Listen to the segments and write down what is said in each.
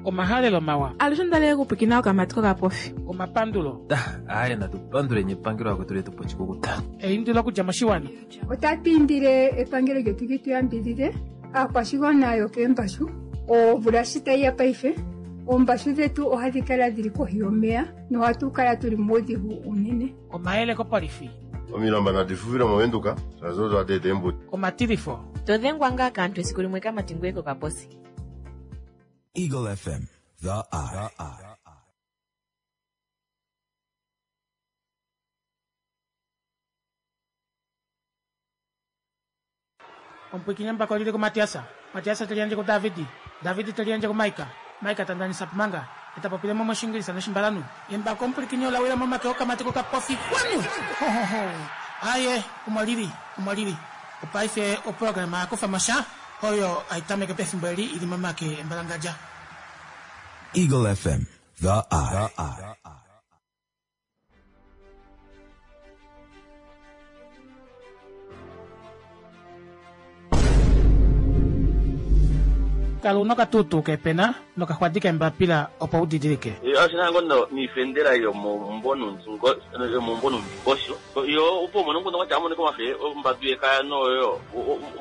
Omahalelo mawa. Alushe onda li okupwikina okamati kokapofi. Omapandulo. Aaye natu panduleni epangelo akwetu letu po oshikukuta. Eindilo okudja moshiwana. Otatu indile epangelo lyetu li tu yambidhidhe aakwashigwana yokeembashu. Omvula shi tayi ya paife, oombashu dhetu ohadhi kala dhili kohi yomeya nohatu kala tuli muudhigu uunene. Omayele kopolifi. Omilamba nadi fufile mOvenduka, shaashi odo hadi eta eembuto. Omatilifo. To dhengwa ngaa kaantu esiku limwe kamati ngoye kokaposi. Eagle FM, the eye. Omupwiikini embako oli li kuMatias, Matias te liyandje kuDavid, David te liyandje kuMaika, Maika ta ndanisa Pumanga, e ta popile mo mOshiingilisa nOshimbalanhu. Embako omupwilikini ola wila momake okamati kokapofi. Kwanu! Ho-ho-ho! Aaye, omo li li, omo li li. Opaife oprograma ya kufa mo sha, oyo hai tameke pefimbo eli i li momake embalangadja. Eagle FM, the eye. Kala u na okatuutuu keepena nokaxwadi keembapila opo u didilike. Oshina ngo no niifendela yomomumvo yomomumvo nuundingosho yo opo umone ngu kwatya amonike omafe ombatu yekaya noyo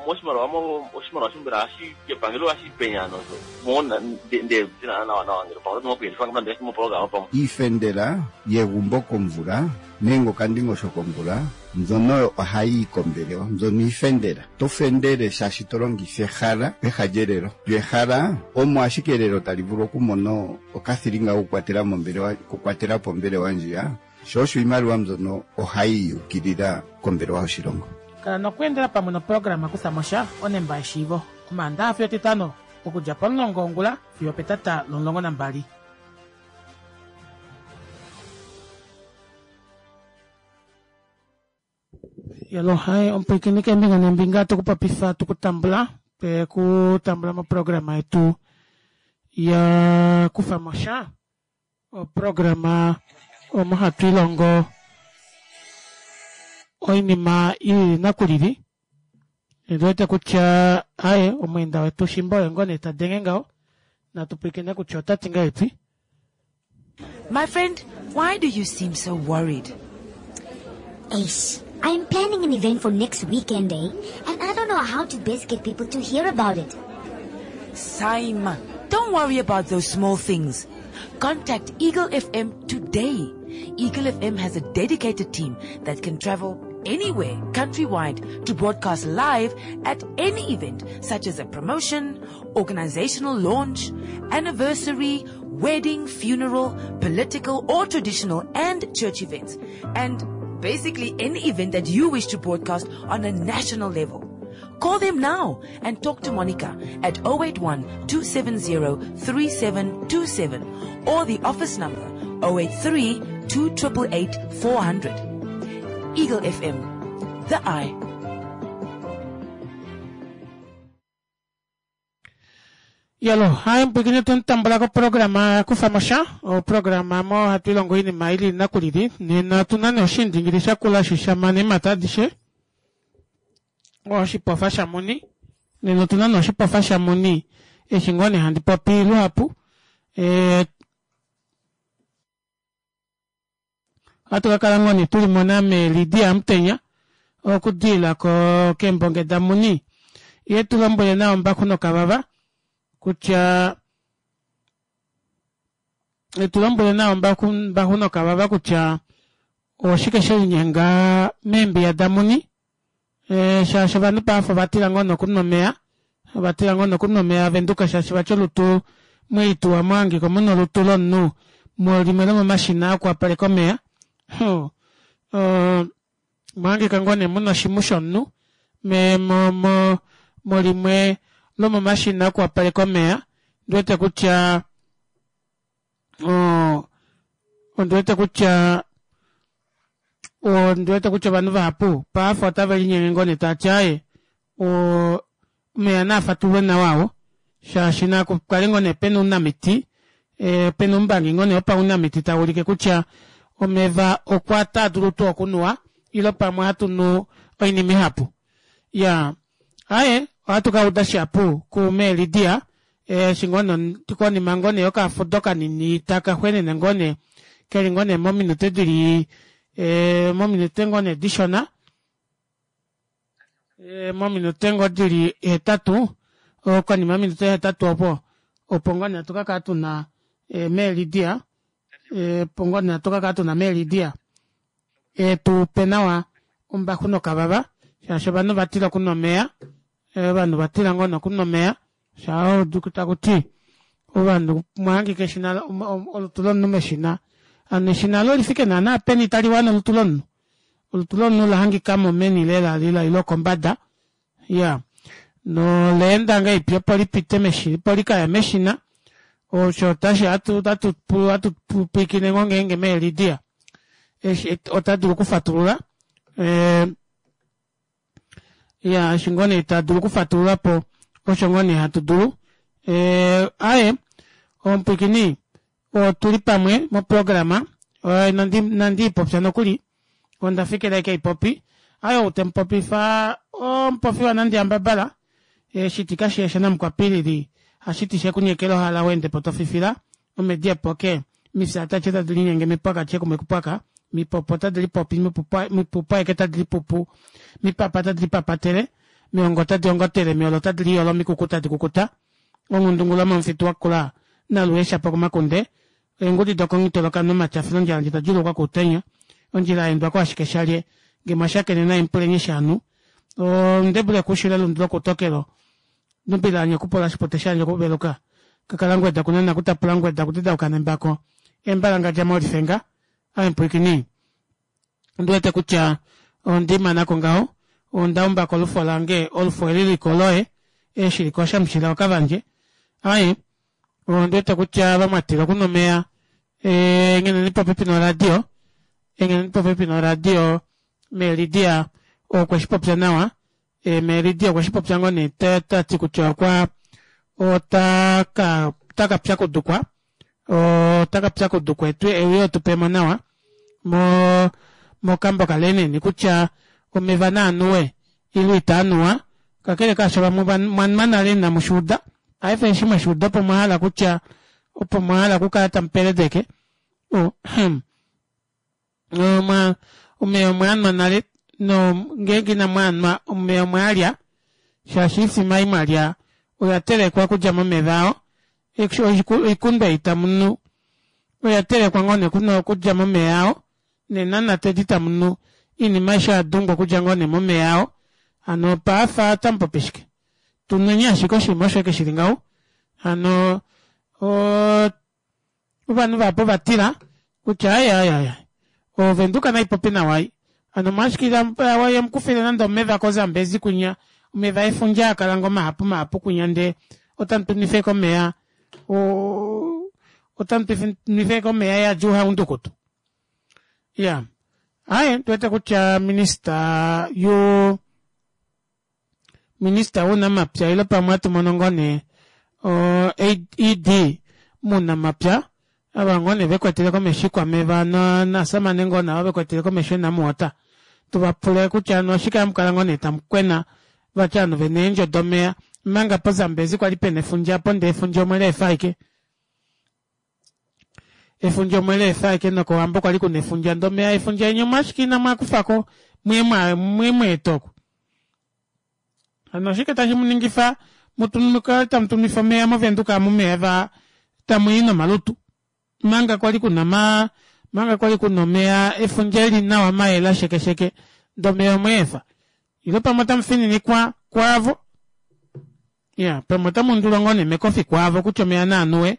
moshimaliwa mo oshimaliwa shombela hashi kepangelo hashi penya nozo mo nde zina nawa nawa ngele pamwe oto kuyelifa ngamba nde mo programa pamwe. Iifendela yegumbo komvula nenge okandingosho komvula mbyono oyo ohayi yi kombelewa. Mbyono iifendela. To fendele shaashi to longitha ehala peha lyelelo. Lyo ehala omo ashike elelo tali vulu okumona okathilinga kokukwatela mombelewa, okukwatela po ombelewa ndjiya. Sho osho iimaliwa mbyono ohayi yi ukilila kombelewa yoshilongo. Kala nokweendela pamwe noprograma Kutha mo sha onemba yeshiivo Omaandaha fiyo Etitano okudja pomulongo wongula fiyo opetata lomulongo nambali. Yalo hai omupwiikini keembinga neembinga tuku popifa tuku tambula twe ku tambula moprograma yetu ya kufa mo sha oprograma omo hatu ilongo oinima i lili nakulili ndi wete kutya aye omweenda wetu shimba oye ngoo nee ta denge ngaho natu pwilikine kutya ota ti ngahelipi My friend, why do you seem so worried? Eish, I'm planning an event for next weekend, eh? And I don't know how to best get people to hear about it. Saima, don't worry about those small things. Contact Eagle FM today. Eagle FM has a dedicated team that can travel anywhere countrywide to broadcast live at any event such as a promotion, organizational launch, anniversary, wedding, funeral, political or traditional and church events. And basically any event that you wish to broadcast on a national level. Call them now and talk to Monica at 081 270 3727 or the office number 083 2888 400. Eagle FM, the eye. Yalo, hai mpwikini tumutambula koprograma ya kufa mo sha, oprograma mo hatu ilongo oinima ili nakulili. Nena otu na nee oshiindingili shakula shi sha mana eemhata adishe, oshipofa shamuni. Nena otu na nee oshipofa shamuni eshi ngoo nee handi popi luhapu. E, ohatu ka kala ngoo nee tuli mona meLydia Amutenya okudiila ko keembonge damuni ye tu lombwele nawa Mbaxu nokavava kutya etu lombwele nawa Mbaxu nokavava kutya oshike she linyenga meembiya damuni e, shaashi ovanhu paife ova tila ngoo nokunwa omeya ova tila ngoo nokunwa omeya aVenduka shaashi vati olutu mweituwa mwahangika muna olutu lomunhu mulimwe lomomashina okuwapaleka omeya mwahangika ngoo nee muna oshimhu shomunhu me mo mo mulimwe lomomashina okuwapaleka omeya ndiwete kutya ondi wete kutya ondi wete kutya ovanhu vahapu paife otave linyenge ngoo nee tava ti aaye omeya naa fatulwe nawa awo shaashi naku kale ngoo nee pena ounamiti e, pena oumbangi ngoo nee wopaunamiti tau ulike kutya omeva okwa taa dulu tuu okunuwa ile pamwe ohatu nu oinima ihapu ya aye ohatu ka uda shihapu kume Lydia. Eshi ngoo nee konima ngoo nee yokafudo kanini taka xwenene ngoo nee keli ngoo nee mominute dili mominute ngoo nee dishona mominute ngoo dili hetatu konima yominute hetatu opo opo ngoo nee hatu kakala tuna mee Lydia opo ngoo nee hatu kakala tuna mee Lydia etupe nawa ombaxu nokavava shaashi ovanhu ovatila okunwa omeva ovanhu ovatila ngoo nee okunwa omeva shaa udu takuti ovanhu mwahangika eshina olutu lomunhu meshina hano eshina aalo olifike naana peni taliwana olutu lomunhu olutu lomunhu olahangikamo meni lela lela ile okombada iyaa noleenda ngahelipi opo lipite meshina opo likaye meshina osho otashi ohatu ohatu pwiikine ngoo ngeenge mee Lydia otadulu okufatulula Iyaa eshi ngoo nee ta dulu okufatululapo osho ngoo nee hatu dulu. Aaye omupwiikini otuli pamwe moprograma inandi ipopya nokuli onda fikila ashike haipopi. Aaye ou temupopifa omupofi wanandi yambabala eshiti kashiya shanamukwapilili hashiti shekunyekela ohala weendepo tofifila omedi epoke mifya tatye tadi linyenge mipwaka tye kumwe kupwaka mipopo tadi lipopi mipupu aeke tadi lipupu mipapa tadi lipapatele miongo tadi ongotele miolo tadi liyolo mikuku tadi kukuta onghundungula momufitu wakula naluheshapo komakunde eengudi dokonghitoloka nomatyafilo ondjala ndji tadjuulukwa koutenya ondjila yaendwa ko ashike shalye nge mwashakene naye mupulenye shaanhu ondebule kuushilo elundu lokuutokelo Nubilaanya okupola oshipote shandje okuveluka kakalangweda kunena kutapula ngweda kutedauka nembako embalangadja molifenga ame pwiikini ondi wete kutya ondi manako ngaho onda umbako olufo lange olufo eli liko loye eshi liko shamushila okavandje aye ondi wete kutya vamwatila okuna omeya engheneni popepi noradio engheneni popepi noradio meelidia okwe shi popya nawa Meeridia okwe shi popya ngoo nee ta ti kutya okwa ota ka ota ka pyakudukwa ota ka pyakudukwa etu euye otupemo nawa mo mokambo kaLenin kutya omeva naanuwe ile itaa nuwa kakele kaasho vamwe mwanwa nale inamu shi uda paife eshi mweshi uda opo mwa hala kutya opo mwa hala okukala tamu peledeke oh, Omwa, omeya omwe a nwa nale, no ngeenge inamu a nwa, omeya omwe a lya, shaashi oifima ei mwa lya oya telekwa okudja momeva ao. Oikundu ei tamu nu oya telekwa ngoo nee okudja momeya ao, neenanate edi tamu nu, oinima aishe oya dungwa okudja ngoo nee momeya ao. Hano paafa otamu popi shike? Tu nweni ashike oshinima osho eke shi li ngaho. Hano o. Ovanhu vahapu ova tila kutya aye aye aye Ovenduka nai popi nawa ai. Hano omolwashike iha mukufile nande omeva koZambezi kwinya, omeva efundja haa kala ngoo mahapu mahapu kwinya ndee otamu tu nwife ashike omeya otamu tu nwife ashike omeya eyadi ouhaundukutu. Iyaa aaye otu wete kutya minista yu Minista wounamapya ile pamwe hatu mono ngoo nee o ED muunamapya ava ngoo nee vekwetele komesho ikwameva nasamane ngoo nava vekwetele komesho eNamwater tuva pule kutya hano oshike hamu kala ngoo nee tamu kwena vati ovanhu vena eendjo domeya omanga poZambezi kwali pena efundja apo ndee efundja omwe leefa ashike efundja omwe leefa ashike nokOwambo kwali kuna efundja ndee omeya efundja enya omwe ashike inamu akufako mwe mweeta oku Hano oshike tashi mu ningifa mu kale tamu tumifa omeya mOvenduka amu meva tamu i nomalutu manga kwali kuna ma manga kwali kuna omeya efundja eli nawa mayela shekesheke ndee omeya omweefa ile pamwe otamu fininikwa kwaavo ya pamwe otamu undulwa ngoo nee mekofi kwaavo kutya omeya naanuwe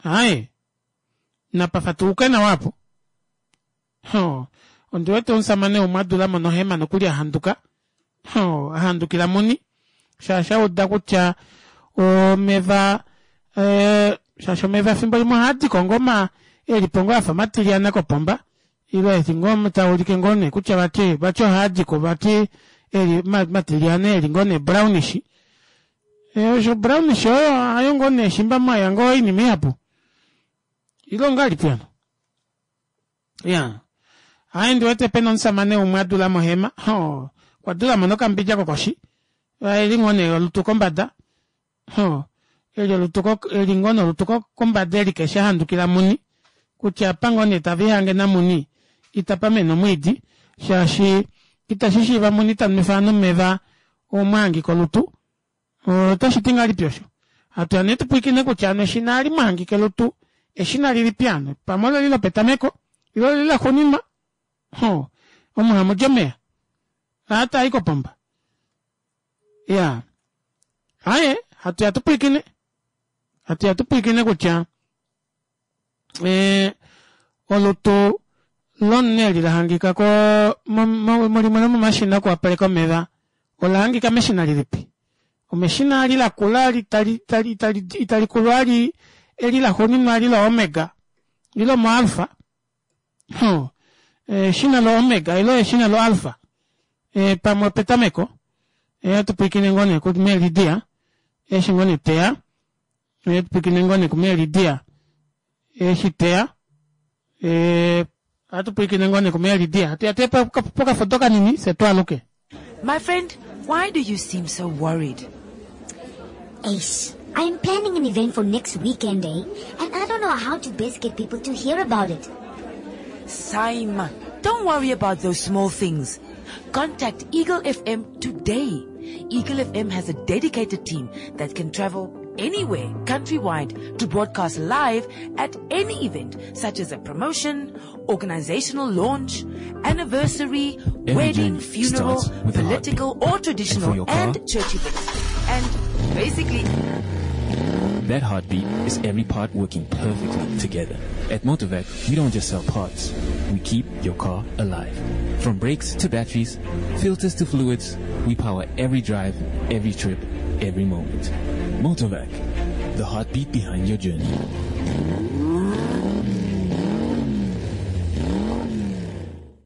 Aaye, napa fatuluke nawa apo. Hoo, ondi wete omusamane umwe a dula mo nohema nokuli a handuka. Hoo, a handukila muni, shaashi a uda kutya omeva eh, shaashi omeva efimbo limwe ohaa di ko ngoo ma e li po ngoo afa matilyana kopomba ile eti ngoo taa ulike ngoo nee kutya vati vati ohaa di ko vati e li matilyana e li ngoo nee brownish. Osho brownish oyo hayo ngoo nee shimba mwaya ngoo oinima ihapu ile ongahelipi hano ya aye ndi wete pena omusamane umwe a dula mohema ho okwa dula mo nokambidja kokoshi eli ngoo nee olutu kombada. Ho, eli olutu ko, eli ngoo nee olutu ko, kombada eli keshe ahandukila muni kutya apa ngoo nee tave ihange namuni itapa mene omwiidi shaashi itashi shiiva muni ta nwefa ovanhu omeva omwahangika olutu. Otashi ti ngahelipi osho? Hatu ya nee tu pwilikine kutya ano eshina ali mwahangika elutu eshina lilipi ano? Pamwe oleli lopetameko ile oleli laxuuninwa? Ho, omu hamu di omeya aa taa i kopomba. Ya. Aye, hatu ya tu pwilikine. Hatu ya tu pwilikine kutya eh, olutu lomunhu eli la hangika ko mulimwe lomomashina okuwapaleka omeva ola hangika meshina lilipi? Omeshina ali lakula ali tali tali tali itali kulu ali eli laxuuninwa ali loomega ile omoalfa Huh. Eshina loomega ile eshina loalfa e, pamwe opetameko e, atu pwilikine ngoo nee kuMelidia eshi ngoo nee teya e, tu pwilikine ngoo nee kuMelidia eshi teya e, ohatu pwilikine ngoo nee kuMelidia hatu ya tuye pokafoto kanini fye twaaluke. My friend, why do you seem so worried? Ace, I'm planning an event for next weekend, eh? And I don't know how to best get people to hear about it. Saima, don't worry about those small things. Contact Eagle FM today. Eagle FM has a dedicated team that can travel anywhere countrywide to broadcast live at any event such as a promotion, organizational launch, anniversary, Every wedding, journey funeral, starts with a heartbeat. political or And traditional for your car? and church events. And basically That heartbeat is every part working perfectly together. At Motorvac, we don't just sell parts. We keep your car alive. From brakes to batteries, filters to fluids, we power every drive, every trip, every moment. Motorvac, the heartbeat behind your journey.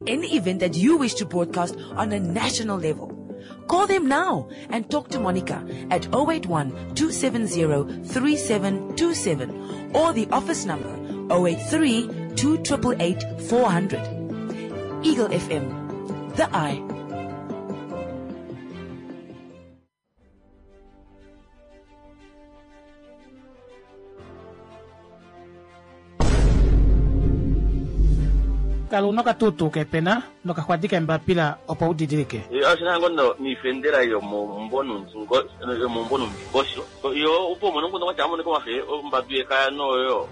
any event that you wish to broadcast on a national level. Call them now and talk to Monica at 081 270 3727 or the office number 083 2888 400. Eagle FM, the eye. Kala una okatuutuu keepena nokaxwadi keembapila opo u didilike. Oshina ngoo no niifendela yomomumvo yomomumvo nomundingosho yo opo umone omukundu kwatya amoneka omafe ombadu yekaya noyo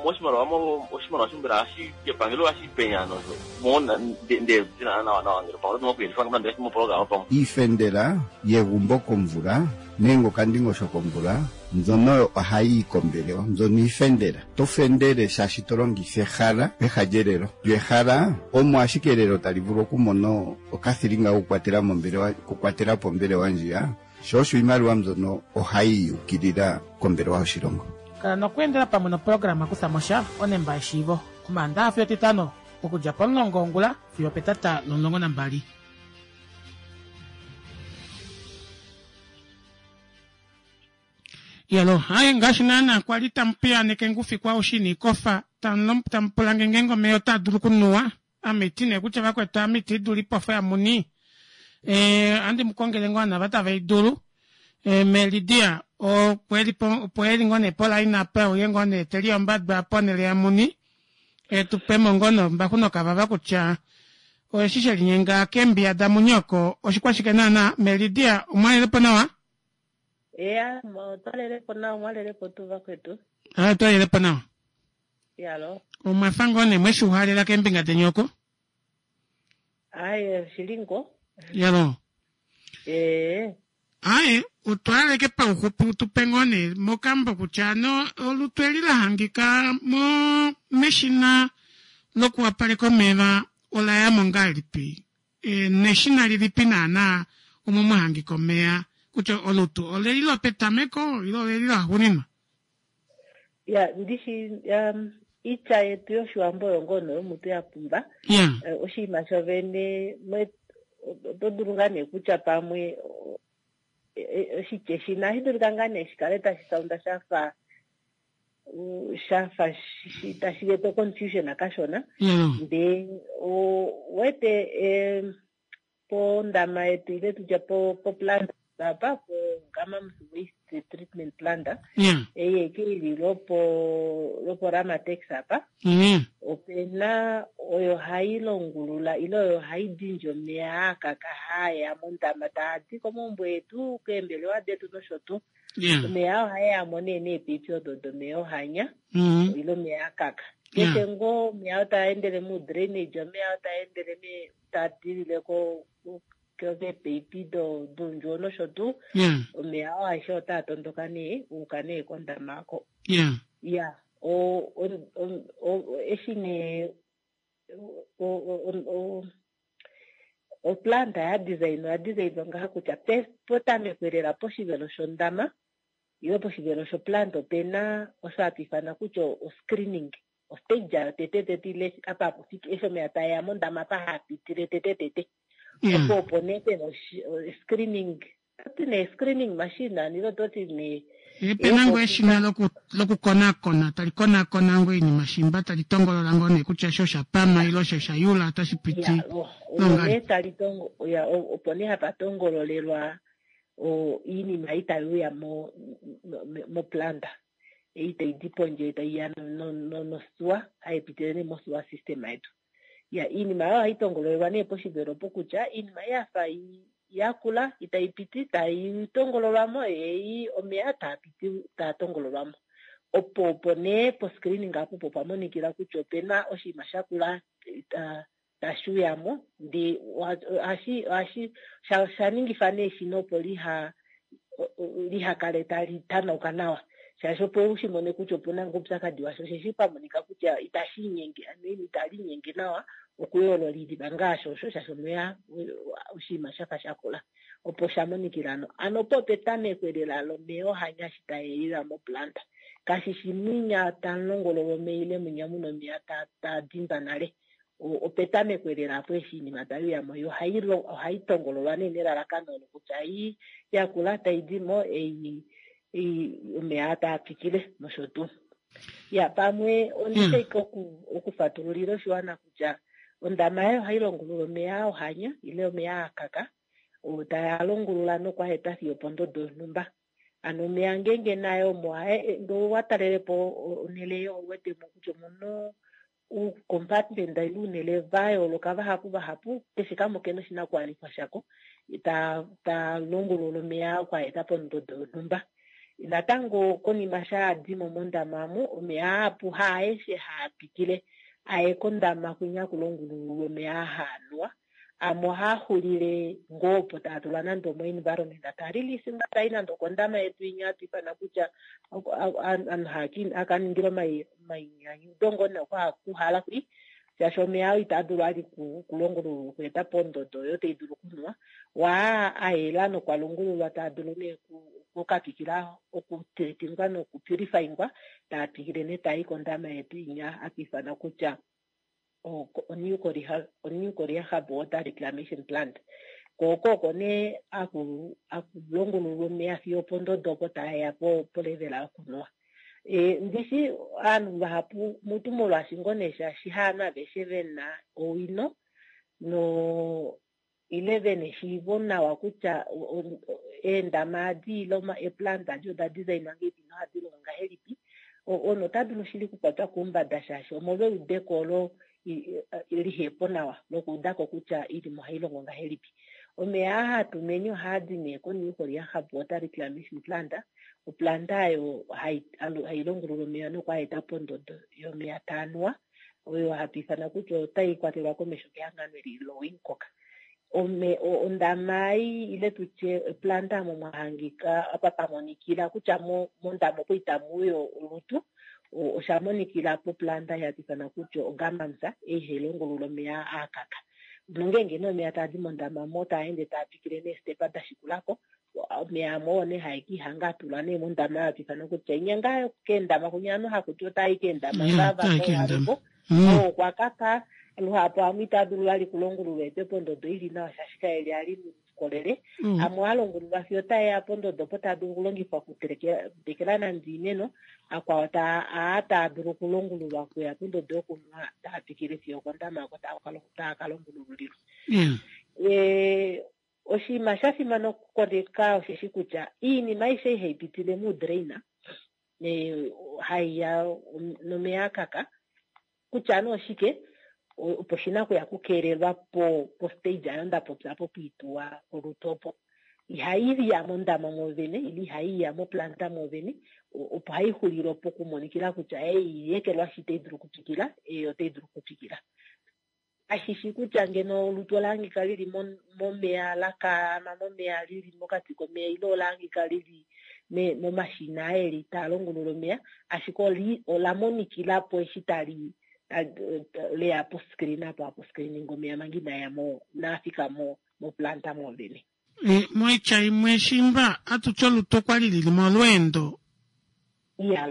moshimaliwa oshimaliwa shombela ohashi epangelo ohashi penya nosho mona nde dina nawa nawa ngele pamwe oto kuyelifa ngame nande moprograma pamwe. Iifendela yegumbo komvula nenge okandingosho komvula mbyono oyo ohayi yi kombelewa. Mbyono iifendela. To fendele shaashi to longitha ehala peha lyelelo. Lyo ehala omo ashike elelo tali vulu okumona okathilinga kokukwatela mombelewa, okukwatela po ombelewa ndjiya. Sho osho iimaliwa mbyono ohayi yi ukilila kombelewa yoshilongo. Kala nokweendela pamwe noprograma Kutha mo sha onemba yeshiivo, Omaandaxa fiyo Etitano, okudja pomulongo wongula fiyo opetata lomulongo nambali. Yalo, haye ngaashi naana kwa li tamu piyaaneke ngufikwa oshini kofa, tamu pula nge ngeenge omeya otaa dulu okunuwa. Ame iti nee kutya vakwetu ame iti dulu ipofa yamuni. Eh, andi mu kongele ngoo nava tave i dulu. Eh, Melidia opo e li ngoo nee polaina apa uye ngoo nee te liyombadwa ponhele yamuni. E tu pe mo ngoo nombaxu nokavava kutya oeshi she linyenga keembiya damuni oko oshikwashike naana. Melidia, omwalele po nawa? Eya, otwa lele po nawa, omwa lele po tuu vakwetu? Ah, otwa lele po nawa. Yalo. Omwa fa ngoo nee mweshi uhalela keembinga deni oko? Aye, oshili ngo. Yalo. Ee. Aye, otwaaleke pauxupi u tu pe ngoo nee mokambo kutya ano olutu eli la hangika mo meshina lokuwapaleka omeva ola ya mo ngahelipi? E, neshina lilipi naanaa omo mwa hangika omeya kutya olutu oleli lopetameko ile oleli laxuuninwa? Ya, ndishi um, itya yetu yOshiwambo oyo ngoo nee yomutu ya pumba. Ya. Eh, oshinima shovene oto dulu ngaa nee kutya pamwe oshitya eshi inashi dulika ngaa nee shi kale tashi saunda shafa shafa tashi eta confusion kashona. Ndee wete pondama yetu ile tutya po plant apa po Gamams Waste Treatment Plant Yeah. ei eke ili lopo lopo Ramatex apa opena oyo hai longulula ile oyo hai dindi omeya akaka haaya mondama taa di komaumbo etu keembelewa detu nosho tuu. Yeah. Omeya oo ohae ya mo nee neepipi odo domeya ohanya ile omeya akaka. Yeah. Keshe ngoo omeya oo taa endele mu drainage, omeya oo taa endele me taa dilile ko keepipi doundjuwo nosho tuu. Yeah. Omeya oo aeshe otaa tondoka nee uuka nee kondama oko. Yeah. Ya, o eshi nee oplanta ya design oya designwa ngaha kutya potameko lela poshivelo shondama ile poshivelo shoplant opena osho hatu ifana kutya o-screening, ostage ayo tete tete ile apa hapu fiki eshi omeya taeya mondama apa haapitile tete tete. Opo opo nee pena screening, toti nee screening machine ile ototi nee Pena ngoo eshina lokukonakona tali konakona ngoo oinima shimba tali tongolola ngoo nee kutya osho sha pama ile osho sha yula otashi piti Ya, olo nee tali tongo ya opo nee hapa tongololelwa oinima ei tai uya mo moplanta ei tai di pondje tai ya nosuwa hai pitile nee mosuwa system yetu. Ya iinima oyo ohai tongololelwa nee poshivelo opo kutya iinima ei yafa yakula itai piti tai tongololwa mo ei omeya taa piti taa tongololwa mo. Opo opo nee po screening apo opo pa monikila kutya opena oshinima shakula tashi uya mo ndee ohashi ohashi sha ningifa nee eshina opo liha liha kale tali tanauka nawa shaashi opo u shi mone kutya opuna ngoo oupyakadi washa osheshi pa monika kutya itashi inyenge ano itali inyenge nawa okuyoolola oinima ngaashi osho shaashi omeya oshinima shafa shakula opo sha monikila ano ano opo petameko lela lomeya ohanya eshi taeya moplanta kashi shi mwinya tamulongololwa omeya ile mwinya muna omeya taa dindwa nale opetameko lela apo eshi iinima tai uyamo yo ohai tongololwa nee nelalakano olo kutya ei yakula tai di mo ei omeya taa twikile nosho tuu. Ya pamwe ondishaika okufatululila oshiwana kutya ondama yayo ohai longulula omeya ohanya ile omeya akaka oo taa longulula nokwa eta fiyo opondodo yonhumba. Ano omeya ngeenge nayo omo ngee owa talelepo onhele eyo ou wetemo kutya omuna uucompartment ile uunhele va yooloka vahapu vahapu keshe kamwe okena oshinakuwanifwa shako ta longulula omeya oku a eta pondodo yonhumba. Natango konima sha adimo mondama omu omeya ahapu haaeshe haa pitile aye kondama kwinya kulongululwa omeya aa haanuwa amwe ohaa xulile ngoo opo taa tulwa nande omo environment taa release nga tai nande okondama yetu inya hatu ifana kutya ovanhu haka ningila omainyanyudo ngoo nee okuhala kwi shaashi omeya oo itaa dulu ali kulongululwa okueta pondodo oyo tai dulu okunuwa waa ayela nokwa longululwa taa dulu nee okukatwikila okutretingwa nokupurifyingwa taa twikile nee taa i kondama yetu inya hatu ifana kutya oNew Korea Hub Water Reclamation Plant. Ko oko oko nee aku longululwa omeya fiyo opondodo opo taeya polevela yokunuwa. Ndishi ovanhu vahapu mutu molwaashi ngoo nee shaashi haanhu aveshe vena owino no ile vena eshiivo nawa kutya eendama adi ile eeplant adi oda designwa ngahelipi nohadi longo ngahelipi, omunhu ota dulu shili okukwatwa koumbada shaashi omolwa eudeko olo lihepo nawa lokuudako kutya oinima ohai longo ngahelipi. Omeya aa hatu meni ohaa di nee koNew Korea Hub Water Reclamation Plant, oplanta oyo hai longulula omeya noku a eta pondodo yomeya taa nuwa, oyo hatu ifana kutya otai kwatelwa komesho kehangano eli loWincock. Ondama ei ile tutye oplanta omo mwa hangika apa pa monikila kutya mondama opo itamu uya olutu, osha monikila poplanta ei hatu ifana kutya oGamamsa, ei hai longulula omeya aa kaka. Nongeenge nee omeya taa di mondama mo taa ende taa twikile neestepa da shikulako, omeya amwe oo nee hae kiihanga atulwa nee mondama oyo hatu ifana kutya inya ngaa keendama kunya ovanhu hakuti otaa i keendama ngaa vapo oo okwa kaka luhapu amwe itaa dulu vali kulongululwa etwe pondodo ili nawa shaashi kaeli ali muukolele. Amwe ohaa longululwa fiyo otaeya pondodo opo taa dulu okulongifwa okutekela nande oimeno, akwao aa taa dulu okulongululwa okuya pondodo yokunwa taa twikile fiyo okondama oko taa ka longululilwa. Oshinima sha fimana okukoneka osheshi kutya iinima aishe ihai pitile muudraina haiya nomeya akaka kutya nee oshike opo shina okuya okukeelelwa po postage ayo nda popya po pwiituwa olutu opo. Ihai ya mondama mwoovene ile ihai ya moplanta mwoovene opo hai xulile opo okumonikila kutya ei yekelwashi itai dulu okutwikila, ei otai dulu okutwikila. Kashi shi kutya ngeno olutu ola hangika lili momeya la kaama momeya lili mokati komeya ile ola hangika lili momashina eli taa longulula omeya, ashike ola monikila po eshi tali leya po screen apo apo screening omeya manga inaya mo inaafika mo moplanta mwoovene. Moitya imwe shimba atuti olutu okwali lili molweendo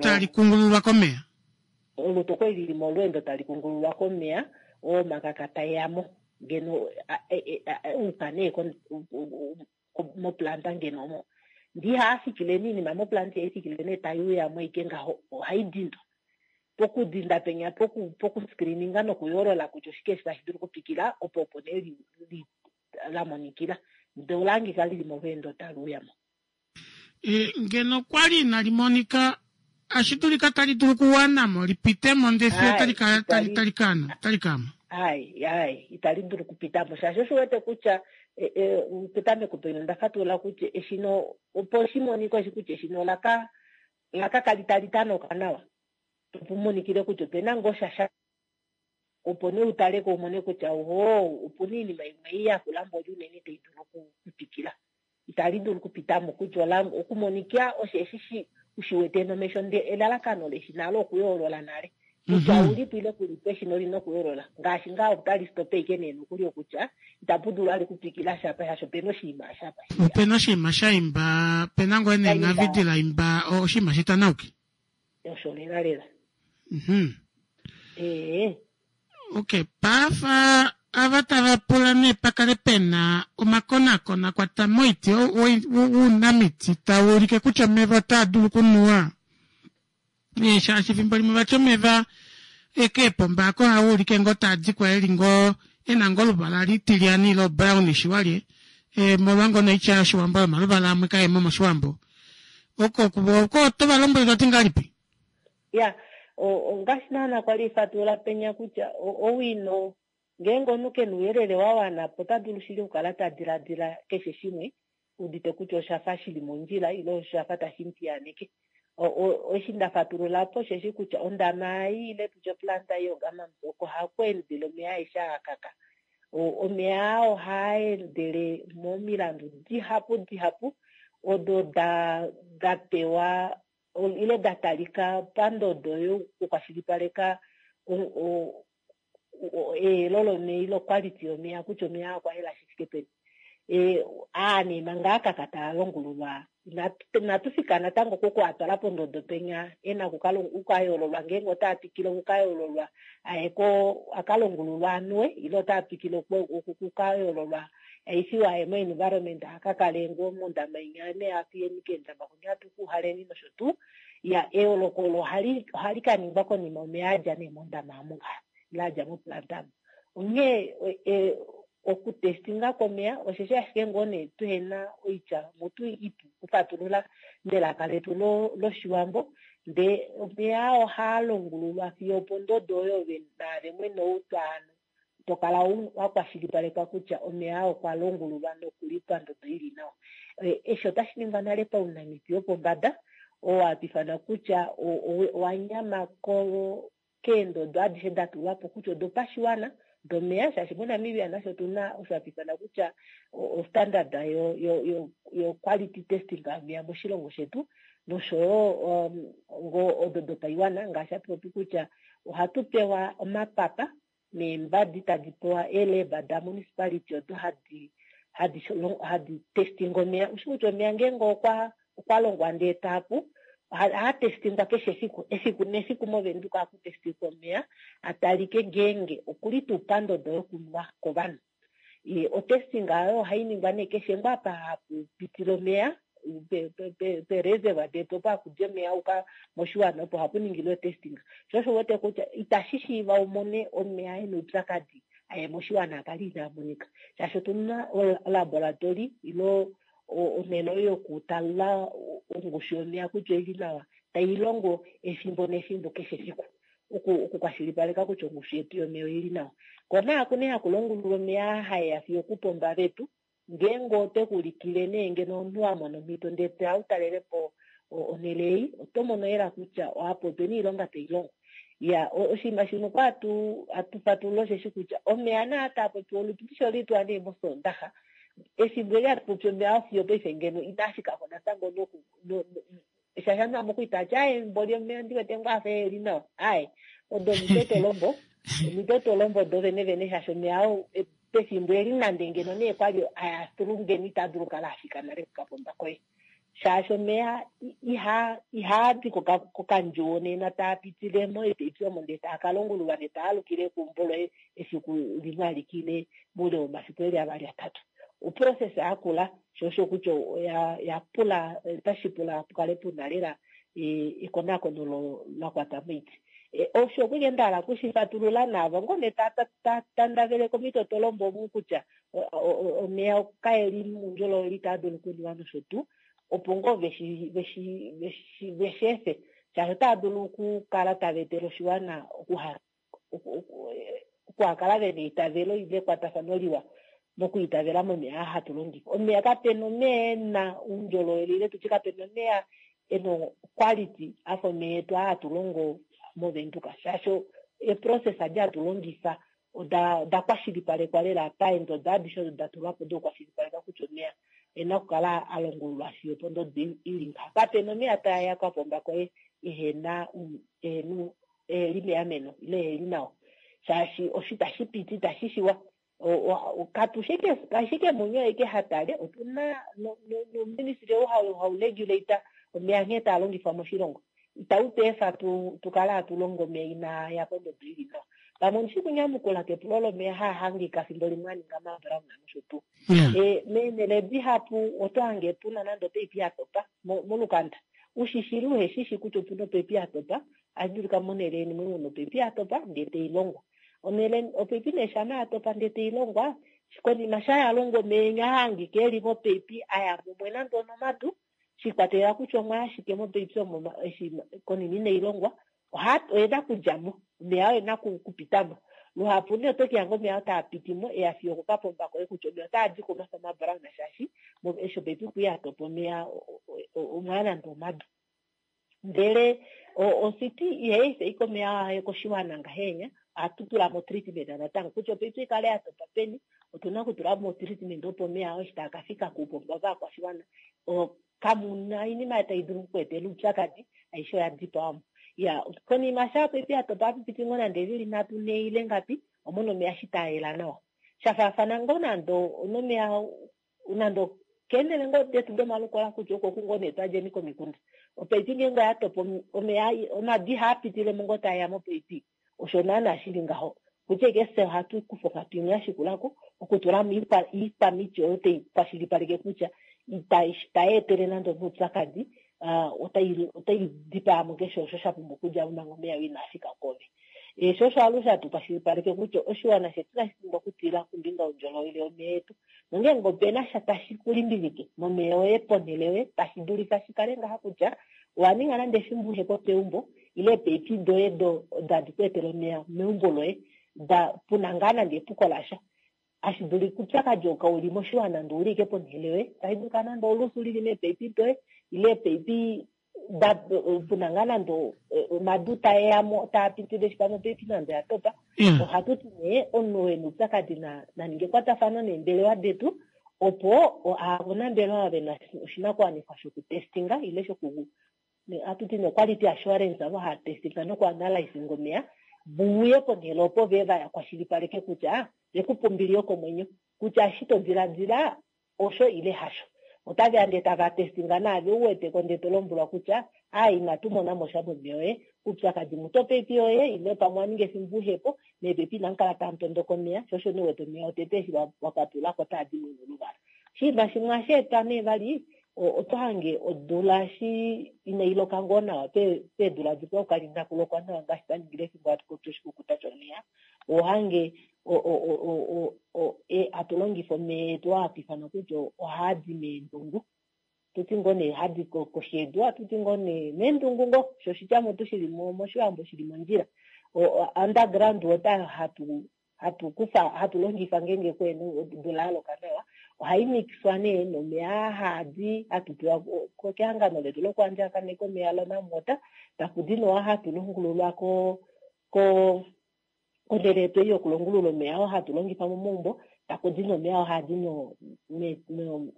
tali kungululwa komeya. Olutu okwali lili molweendo tali kungululwa komeya oo omakaka taeyamo ngeno uka nee moplanta ngeno omo. Ndee ihaa fikile nee iinima moplanta ihai fikile nee tai uyamo ashike ngaho ohai dindwa. Pokudinda penya pokuscreeninga nokuyoolola kutya oshike eshi tashi dulu okutwikila opo opo nee la monikila ndee ola hangika lili molweendo tali uyamo. Ngeno okwa li inali monika ashi dulika tali dulu okuwanamo lipitemo ndee fiyo tali kaana otali kaama. Ai, ai, itali dulu okupitamo shaashi osho wete kutya petameko penya onda fatulula kutya eshino opo shi monike oshi kutya eshino laka kali tali tanoka nawa opo monikile kutya opena ngoo sha opo nee utaleko umone kutya oho opuna iinima imwe ei yakula mboli unene tai dulu okutwikila. Itali dulu okupitamo kutya ola okumonika osheshi shi ushiwete nomesho ndee elalakano leshina alo okuyoolola nale kutya ulipo ile kulipo eshina olina okuyoolola ngaashi ngaa otali stope ashike nee nokuli okutya itapu dulu ali kutwikila shapa shaashi opena oshinima shapa Opena oshinima sha imba pena ngoo neengavi la imba oshinima shitanauki. Osho lela lela. Okay, paafa ava tava pula nee pakale pena omakonakono a kwata moiti wounamiti tau ulike kutya omeva otaa dulu okunuwa. Shaashi efimbo limwe vati omeva ekeepomba ako ohaa ulike ngoo taa dikwa eli ngoo ena ngoo oluvala litilyani ile brownish walye molwa ngoo noitya yOshiwambo yomaluvala amwe kaemo mOshiwambo. Oko oko oto va lombwele toti ngahelipi? Ya, ongaashi naana kwali fatulula penya kutya owino ngeenge omunhu kena ouyelele wa wana po ota dulu shili okukala ta diladila keshe shimwe udite kutya oshafa shili mondjila ile oshafa tashi mu piyaaneke. Eshi nda fatulula po osheshi kutya ondama ei ile tutye oplanta ei yoGammams oko haku endele omeya aeshe aa kaka. Omeya aa ohaa endele momilandu dihapu dihapu odo da pewa ile da talika pandodo yokukwashilipaleka eyelo lomeya ile oquality yomeya kutya omeya okwa yela shi fike peni. Aa nee manga akaka taa longululwa inatu fika natango koku a twala pondodo penya ena okukayoololwa ngeenge otaa twikile okukayoololwa aye ko akalongululwa anuwe ile otaa twikile okukayoololwa aifiwa aye mo-environment akakale ngoo mondama inya ne atuyeni keendama khunya atukuuhaleni nosho tuu. Ya eyooloko olo ohali ka ningwa konima omeya adja nee mondama amu ngaha ile adja moplanta amu. Onghee okutestinga kwomeya osheshi ashike ngoo nee tuhena oitya mutu ipu okufatulula melaka letu lOshiwambo ndee omeya ohaa longululwa fiyo opondodo oyo naave mwene ou twaano to kala wa kwashilipalekwa kutya omeya okwa longululwa nokuli pandodo ili nawa. Eshi otashi ningwa nale paunamiti wopombada oo hatu ifana kutya owa nyama keendodo adishe da tulwa po kutya odopashiwana domeya shaashi moNamibia nasho otuna osho hatu ifana kutya ostandard yo quality testing yomeya moshilongo shetu noshoyo ngoo odo dopaiwana ngaashi hatu popi kutya ohatu pewa omapapa neembadi tadi pewa eeleba da municipality odo hadi testing omeya. Ushi kutya omeya ngeenge okwa longwa ndee taapu ohaa testingwa keshe efiku, efiku nefiku moVenduka ohaku testingwa omeya atalike ngeenge okuli tuu pandodo yokunwa kovanhu. Otesting ayo ohai ningwa nee keshe ngoo apa hapu pitile omeya pereservoir detu opo haku di omeya uka moshiwana opo hapu ningilwa otesting. Sho osho uwete kutya itashi shiiva umone omeya ena oupyakadi. aye moshiwana a kale inaa monika. Shaashi otu na olaboratori ile onhele oyo yokutala ongushu yomeya kutya oili nawa tai longo efimbo nefimbo keshe efiku okukwashilipaleka kutya ongushu yetu yomeya oili nawa. Ko naaku nee haku longululwa omeya haeya fiyo okupomba vetu ngeenge ote ku ulikile nee ngeno omunhu wa mona omhito ndee toya u talele po onhele ei oto mono lela kutya apa opena oilonga tai longwa. Ya oshinima shimwe kwa hatu fatulula osheshi kutya omeya naa taa popiwa olutu oli tuwa nee mOsoondaxa efimbo eli hatu popi omeya fiyo paife ngeno inaa fikako natango noku shaashi ovanhu vamwe okuli tava ti aaye mboli omeya ondi wete ngoo afa eheli nawa. Aaye odo omitotolombo, omitotolombo do vene vene shaashi omeya oo pefimbo eli nande ngeno nee kwali aya through ngeno itaa dulu okukala afika nale kokapomba koye. Shaashi omeya ihaa di kokandjuwo nena taa pitile moipaipi omo ndee taa ka longululwa ndee taa alukile keumbo loye efiku limwe alike ile moule womafiku eli avali atatu. Oprocess yakula sho osho kutya oya pula otashi pula pukale puna lela ekonakono la kwata moiti. Osho okwike nda hala okushi fatulula naavo ngoo nee ta tandavele komitotolombo omu kutya omeya kaeli moundjolowele itaa dulu okunuwa nosho tuu, opo ngoo veshi efe shaashi otaa dulu okukala tava etele oshiwana okuhakala ve na eitavelo ile ekwatafano liwa mokwiitavela momeya aa hatu longifa. Omeya kape na omeya e na oundjolowele ile tutye kape na omeya e na oquality afa omeya etu aa hatu longo mOvenduka shaashi eeprocess adi hatu longifa oda kwashilipalekwa lela paendodo adishe odo da tulwa po dokukwashilipaleka kutya omeya e na okukala a longululwa fiyo opondodo i li ngaha. Kape na omeya taa ya kokapomba koye ehe na eheli meameno ile eheli nawa shaashi osho itashi piti itashi shiwa. Katu ashike muni aeke ha tale, otu na nouministili ou hau regulate omeya nghee taa longifwa moshilongo. Itau tu efa tu kale hatu longo omeya inaa ya pondodo ili nawa. Pamwe ondi shi kunyamukula kepulo lomeya haa hangika fimbo limwe a ninga mabrown nosho tuu. Meenhele dihapu oto hange puna nande opaipi ya topa molukanda. Ushishili uheshishi kutya opuna opaipi ya topa, ohashi dulika monhele yeni mwe muna opaipi ya topa ndee tai longwa. Onhele opaipi nee shama ya topa ndee tai longwa, konima sha ya longwa omeya enya hangika eli mopaipi aya mumwe nande onomadu, shikwatelela kutya omwa ashike mopaipi omo eshi konima inai longwa, oyena okudja mo, omeya oo ena okupita mo. Luhapu nee oto ke hanga omeya oo taa piti mo eya fiyo okokapomba koye kutya omeya otaa di ko omafa mabrown shaashi eshi opaipi kui ya topa omeya omwaya nande omadu. Ndele ocity ihai efa ashike omeya aye koshiwana ngahenya, ohatu tula mo treatment natango kutya opaipi ikale ya topa peni, otuna okutula mo treatment opo omeya oo eshi taa ka fika kuupomba vovakwashiwana kamu na oinima tai dulu okukweetela oupyakadi, aishe oya dipawa mo. Ya konima sha opaipi ya topa ohapu piti ngoo nande eevili nhatu nhee ile ngapi, omona omeya eshi taa yela nawa. Sha faafana ngoo nande onomeya nande keenhele ngoo detu domalukola kutya oko ku ngoo nee twadjeni komikunda, opaipi ngeenge oya topa omeya omadu ihaa pitile mo ngoo tae ya mopaipi. Osho naana shi li ngaho kutya ashike fye ohatu kufa onghatu imwe ya shikula ko okutula mo iikwamiti oyo tai kwashilipaleke kutya itai etele nande omunhu oupyakadi, otai dipaa mo keshe osho sha pumbwa okudja mo manga omeya oo inaa fika kwoove. Sho osho alushe hatu kwashilipaleke kutya oshiwana shetu inashi pumbwa okutila kombinga youndjolowele womeya etu. Nongeenge ope na sha tashi ku limbilike momeya oye ponhele yoye, tashi dulika shi kale ngaha kutya owa ninga nande efimbo uhe po peumbo ile eepaipi doye odo hadi ku etele omeya meumbo loye da puna ngaa nande epuko lasha. Hashi dulika oupyakadi oo kau li moshiwana nande ouli ashike ponhele yoye, tashi dulika nande olusu li li meepaipi doye ile eepaipi da puna ngaa nande omadu tae ya mo taa pitile eshi pamwe opaipi nande oya topa. Ohatu ti nee omunhu oo e na oupyakadi na ninge ekwatafano neembelewa detu opo ovanambelewa ve na oshinakuwanifwa shokutestinga ile shoku ohatu ti nee quality assurance avo hava testinga nokuanalysinga omeya vuuye ponhele opo ve va kwashilipaleke kutya ve ku pa ombili yokomwenyo kutya eshi to diladila osho ile hasho. Otave ya ndee tava testinga naave u wete ko ndee to lombwelwa kutya aaye inatu mona mo sha momeya oye, uupyakadi mutu opaipi yoye ile pamwe owa ninga efimbo uhe po, meepaipi inamu kala tamu tondoka omeya, sho osho nee u wete omeya otete eshi wa patulula ko otaa di mo noluvala. Oshinima shimwe ohashi etwa nee vali oto hange odula eshi inai loka ngoo nawa peedula dikwao kali inaku lokwa nawa ngaashi twa ningile efimbo hatu popi oshikukuta shomeya, oho hange Hatu longifa omeya etu oo hatu ifana kutya ohaadi meendungu. Tuti ngoo nee hadi koshi yedu, ohatu ti ngoo nee meendungu ngoo, sho oshitya mutu shili moshiwambo shili mondjila. Underground water hatu kufa hatu longifa ngeenge kuhena odula ya loka nawa, ohai mixwa nee nomeya aa haadi hatu pewa kehangano letu lokuandjakaneka omeya loNamwater, taku di nee oo hatu longululwa ko konhele yetu ei yokulongulula omeya oo hatu longifa momaumbo, taku di nomeya oo haa di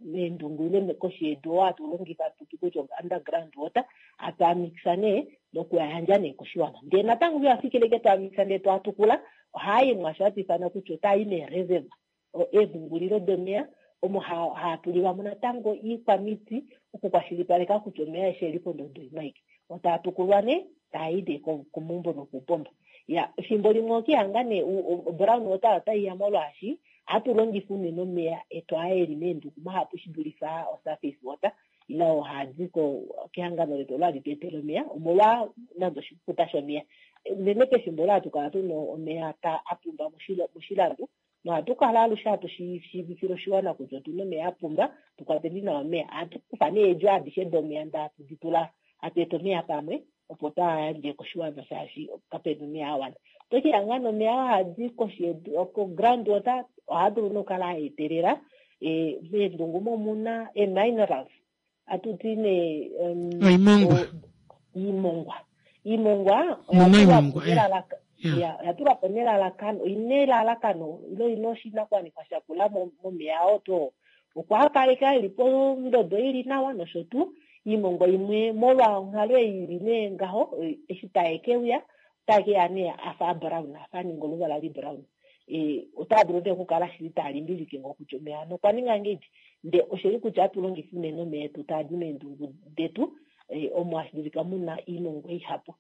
meendungu ile koshi yedu oo hatu longifa hatu ti kutya underground water, hatu a mixa nee noku a yandja nee koshiwana. Ndee natango iha fikile ashike twaa mixa ndee twaa tukula, ohaa i mwaasho hatu ifana kutya otaa i meereserve, eemhungulilo domeya, omo haa tulilwa mo natango iikwamiti okukwashilipaleka kutya omeya aeshe oeli pondodo imwe aike. Otaa tukulwa nee, taa i nee komaumbo nokuupomba. Ya, efimbo limwe okihanga nee brown water otai ya molwaashi ohatu longifa unene omeya etu aa eli meenduku mahapu shi dulife aa osurface water ile oo haa di kehangano letu olo hali tu etele omeya omolwa nande oshikukuta shomeya. Unene pefimbo olo hatu kala tuna omeya a pumba moshilando nohatu kala alushe hatu shiivifile oshiwana kutya otuna omeya a pumba, tu kwateni nawa omeya. Ohatu kufa nee eedjo adishe domeya ndee hatu di tula, hatu eta omeya pamwe opo twaa yandje koshiwana shaashi kapena omeya a wana. Oto ke lihanga nee omeya oo haa di koshi yedu ko ground water ohaa dulu nee okukala a etelela meendungu omo omuna ee minerals hatu ti nee oimongwa. Iimongwa. Iimongwa oya tulwa po nelalakano, oina elalakano ile oina oshinakuwanifwa shakula momeya oo tuu oo. Opo a kaleke eli pondodo ili nawa nosho tuu. Iimongwa imwe molwa onghalo ei ili nee ngaho, eshi tae ke uya, otae ke ya nee a fa abrown, a fa a ninga oluvala librown. Otaa dulu nee okukala shili taa limbilike ngoo kutya omeya ano okwa ninga ngahelipi. Ndee oshili kutya ohatu longifa unene omeya etu taa di meendungu detu, omo hashi dulika mu na iimongwa ihapu.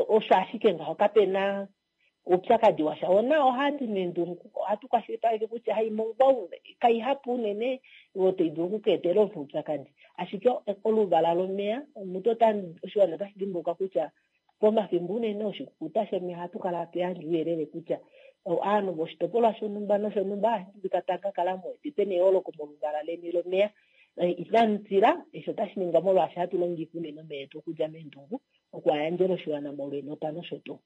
Osho ashike ngaho, kape na oupyakadi washa. Ona ohaa di meendungu, ohatu kwashilipaleke kutya haimongwa kaihapu unene oyo tai dulu oku ka etela omunhu oupyakadi. Ashike oluvala lomeya, omutu ota, oshiwana otashi dimbuluka kutya pomafimbo unene oshikukuta shomeya ohatu kala hatu yandje ouyelele kutya ovanhu voshitopolwa shonhumba noshonhumba ohashi dulika tamu ka kala mu wete pena eyooloko moluvala leni lomeya. Inamu tila, eshi otashi ningwa molwaashi hatu longifa unene omeya etu okudja meendungu oku a yandjela oshiwana molweenota nosho tuu.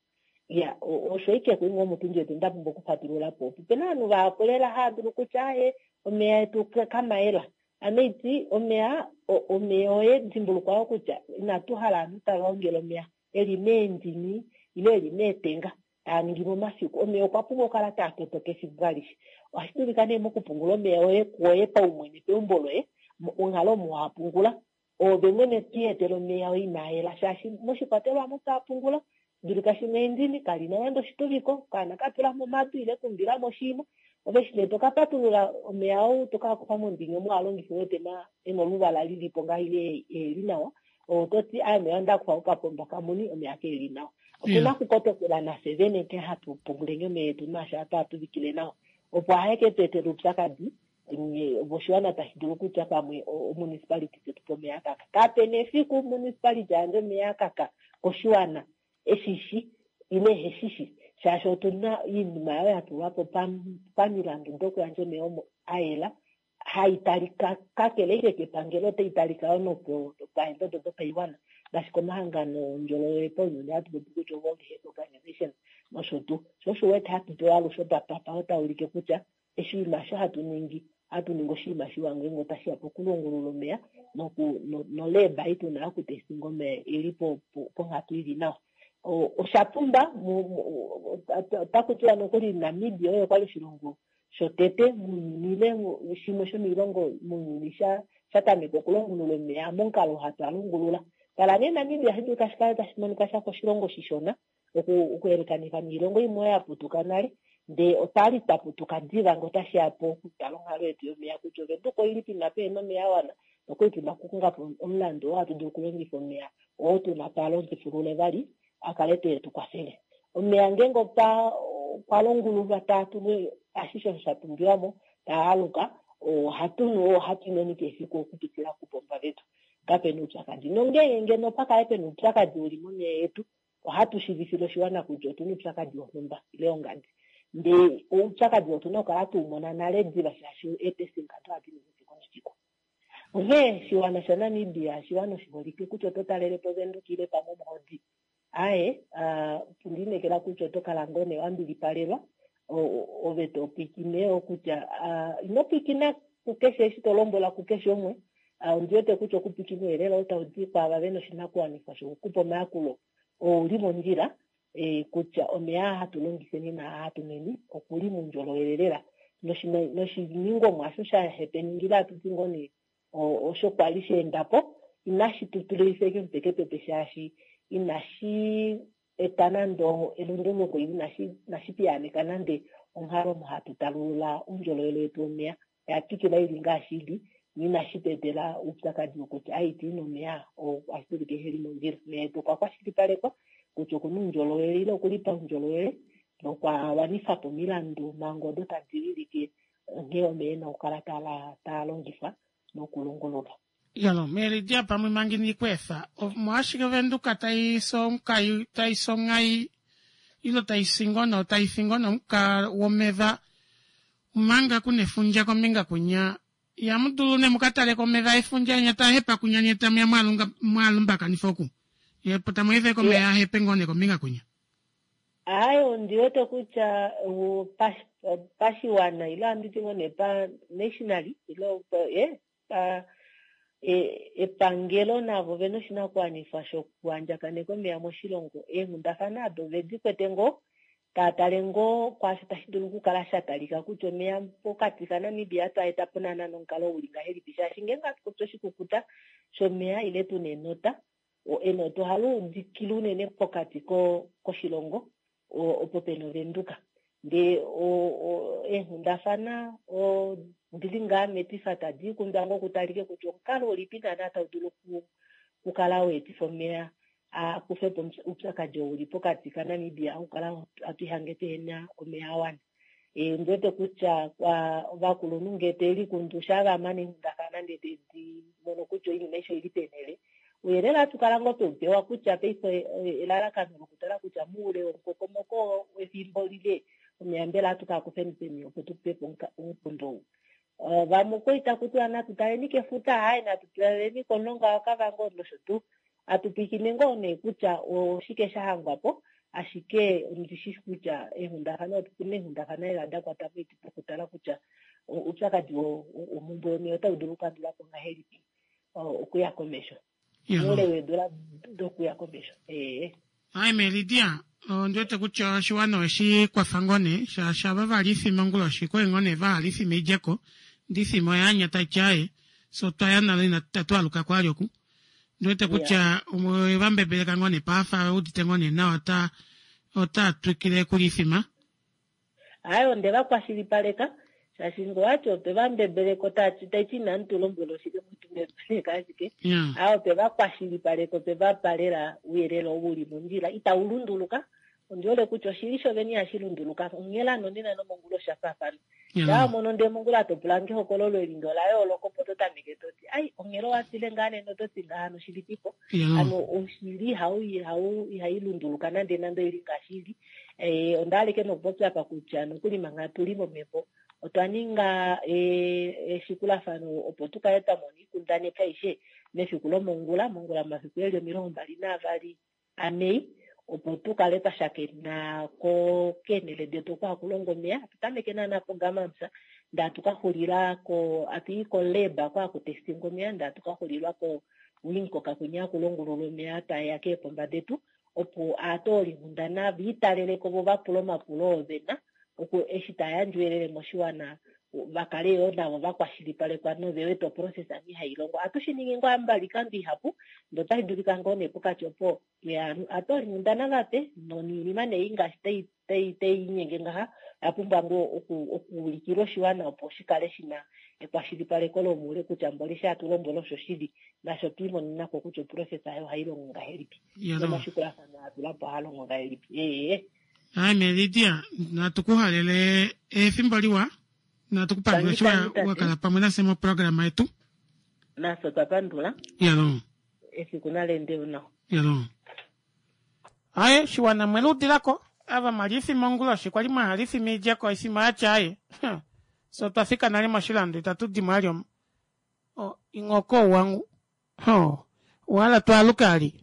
Ya, osho ashike kuinga omutundi wetu nda pumbwa okufatulula po. Opena ovanhu vahapu lela hava dulu kutya aaye omeya etu kamayela. Ame iti omeya, omeya oye dimbulukwa wo kutya inatu hala ovanhu tava ongele omeya eli meendini ile eli meetenga taa ningi momafiku. Omeya okwa pumbwa okukala taa totoka efimbo alishe. Ohashi dulika nee mokupungula omeya oye kuoye paumwene peumbo loye, onghalo omo wa pungula Oove mwene to iyetele omeya oo inaa yela, shaashi moshikwatelwa omo to a pungula, dulika shimwe endini, kali na nande oshituviko, okaana ka tula mo omadu ile ka umbila mo oshinima. Ove eshi nee to ka patulula omeya oo to ka kufa mondini omo wa longifa u wete e na oluvala li li po ngaho ile e li nawa, oto ti, Aa omeya oo nda kufa kokapomba kamuni, omeya kee li nawa. Otu na okukotokela nafye vene nghee hatu punguleni omeya etu naashi hatu a tuvikile nawa, opo ahe ke tu etele oupyakadi oshiwana tashi dulu kutya pamwe omunicipality tetu po omeya akaka. Kape na efiku municipality a yandje omeya akaka koshiwana eshishi ile eheshishi, shaashi otu na oinima oyo ya tulwa po pamilandu dokuyandja omeya omo a yela, hai talika kakele ashike kepangelo, otai talika yo nopaendodo dopaiwana ngaashi komahangano oundjolowele paunyuni hatu popi kutya World Health Organization nosho tuu. Sho osho u wete hatu pewa alushe opapapa oo taa ulike kutya Oshinima osho hatu ningi, ohatu ningi oshinima shiwa ngeenge otashi ya pokulongulula omeya nolab ei tu na yokutestinga omeya i li ponghatu i li nawa. Osha pumba, otaku tiwa nokuli Namibia oye kwa li oshilongo shotete mounyuni ile shimwe shomoilongo mounyuni sha tameka okulongulula omeya momukalo oo hatu a longulula. Tala nee Namibia ohashi dulika shi kale tashi monika sha fa oshilongo shishona okuyelekanifa noilongo imwe oyo ya putuka nale, ndee otwa li twa putuka diva ngee otashi ya po okutala onghalo yetu yomeya kutya Ovenduka oi li peni apa pehena omeya a wana nokuli tu na okukonga po omulandu oo hatu dulu okulongifa omeya oo tu na twaa longifulule vali a kale tee tu kwafele. Omeya ngeenge okwa longululwa taa tulwa ashishe osho sha pumbiwa mo, taa aluka, ohatu nu oo ohatu nweni keshe efiku okupitila kupomba vetu. Kape na oupyakadi. Nongeenge ngeno opa kale pena oupyakadi u li momeya etu, ohatu shiivifile oshiwana kutya otu na oupyakadi wonhumba ile wongadi. Ndee oupyakadi otu na okukala tu mona nale diva shaashi eetesting ado ohadi ningwa efiku nefiku. Onghee oshiwana shaNamibia oshiwana oshiholike kutya oto talele po Venduka ile pamwe omuhodi. Aaye, ondi inekela kutya oto kala ngoo nee wa mbilipalelwa ove to pwiikine yo kutya ino pwiikina kukeshe eshi to lombwelwa kukeshe umwe. Ondi wete kutya okupwiikina ouyelele ou tau di kwaava ve na oshinakuwanifwa shokukupa omayakulo ou li mondjila kutya omeya aa hatu longifeni naa hatu nweni oku li moundjolowele lela. Noshiningomwa osho sha hepeningila hatu ti ngoo nee osho kwa li sha enda po inashi tu tulilifa ashike omutwe kepepe shaashi inashi eta nande elunduluko ile inashi piyaaneka nande onghalo omo hatu talulula oundjolowele wetu womeya. Oya twikila i li ngaashi i li noinashi tu etela oupyakadi wokutya ai itu ina omeya oo otashi dulika ehe li mondjila. Omeya etu okwa kwashilipalekwa kutya oku na oundjolowele ile oku li paundjolowele nokwa wanifa po omilandu mhango odo tadi wilike nghee omeya e na okukala taa longifwa nokulongululwa. Yalo, Meridia pamwe manga inii ku efa, omolwashike Ovenduka tai si tai si onghai ile tai si ngono tai fi ngono omuka womeva omanga ku na efundja kombinga kunya ihamu dulu ne muka taleko omeva efundja enya taa hepa kunya nye tamu ya mwaa lumbakanifa oku ye po tamu efa omeya a hepe ngoo ne kombinga kunya. Aaye, ondi wete kutya pashiwana ile ohandi ti ngoo nee pa nationally ile pa epangelo navo ovena oshinakuwanifwa shokuandjakaneka omeya moshilongo. Eenghundafana ado ove di kwete ngoo, tava tale ngoo kwaasho tashi dulu okukala sha talika kutya omeya pokati kaNamibia otwa eta po naana nomukalo u li ngahelipi shaashi ngeenge ohatu popi oshikukuta shomeya ile tu na enota, enota ohali udikile unene pokati koshilongo opo pe na Ovenduka. Ndee eenghundafana odi li ngaa metifa tadi ikundwa ngoo kutalike kutya omukalo ulipi naana tau dulu okukala wa etifa omeya a kufe po oupyakadi oo uli pokati kaNamibia okukala hatu ihange tuhena omeya a wana. Ondi wete kutya ovakulunhu ngee teve likundu shaa va mana eenghundafana ndee tedi mono kutya oinima aishe oili peenhele, ouyelele ohatu kala ngoo tweu pewa kutya paife elalakano lokutala kutya moule womukokomoko wefimbo lile omeya mbela ohatu ka kufeni peni opo tu kufe po omukundu ou. Vamwe okwali taku tiwa natu taleni kefuta, aaye natu taleni komulonga waKavango nosho tuu. Atu pwiikine ngoo nee kutya oshike sha hangwa po, ashike ondi shi kutya eenghundafana otu na eenghundafana lela da kwata moiti dokutala kutya oupyakadi womhumbwe yomeya otau dulu okukandulwa po ngahelipi okuya komesho. Moule weedula dokuya komesho. Ee. Aime Lydia, ondi wete kutya oshiwana oweshi kwafa ngoo nee, shaashi ava va li ifima onguloshi okwali ngoo nee va hala ifima idjeko, ndee ifima oya anya taiti aaye, fye otwa ya nale inatu aluka kwali oku. Ndi wete kutya owe va mbebeleka ngoo nee paafa ve udite ngoo nee nawa ota ota twikile okulya ifima. Aaye onde va kwashilipaleka shaashi nge owati otwe va mbebeleka otati taiti inamu tu lombwela oshili mwetu mbebeleka ashike. Aaye otwe va kwashilipaleka otwe va pa lela ouyelele ou uli mondjila itau lunduluka. Ondi hole kutya oshili shovene ihashi lunduluka onghela nonena nomongula osha faafana. Shaa wa mono ndee mongula to pula nge ehokololo eli ndee ola yooloka opo to tameke to ti ai onghela owa tile ngaa nena oto ti ngaha hano oshilipipo. Hano oshili ihai lunduluka nande nande oili ngaashi ili. Eh, onda hala ike nokupopya apa kutya nokuli manga tu li momhepo otwa ninga eshikulafano opo tu kale twa mona oikundaneki aishe mefiku lomongula, mongula momafiku eli 22 aMei, opo tu kale twa shakena ko keenhele detu oko haku longo omeya. Hatu tameke naana poGammams, ndee hatu ka xulila ko, hatu i kolab oko haku testingwa omeya, ndee hatu ka xulilwa koWindhoek kwinya haku longululwa omeya tae ya keepomba detu, opo aatoolinghundana va italele ko vo va pule omapulo oo ve na, opo eshi tava yandje ouyelele moshiwana va kale yoo navo va kwashilipalekwa nove wete oprocess nghee hai longo. Ohatu shi ningi ngoo ambali oikando ihapu, ndee otashi dulika ngoo nee pokati opo pweya aatoolinghundana vape noinima nee ei ngaashi tai tai tai linyenge ngaha oya pumbwa ngoo oku okuulikilwa oshiwana opo shi kale shi na ekwashilipaleko lomoule kutya mboli eshi hatu lombwele oshoshili nasho otwe imonena ko kutya oprocess ayo ohai longo ngahelipi nomashikulafano a tula po ohaa longo ngahelipi. Ee. Aime Lydia, natu ku halele efimbo liwa, natu ku pandula eshi wa kala pamwe nafye moprograma yetu. Nafye otwa pandula. Yalo. Efiku nali ende nawa. Yalo. Aye, shiwana mwe luudilako. Ava mwali ifima onguloshi kwali mwahala ifima idjeko ifima oyatya aaye fye otwa fika nale moshilando itatu dimo ali omu. Oh, inghoko ouwangu. Oh, owahala twaaluke ali?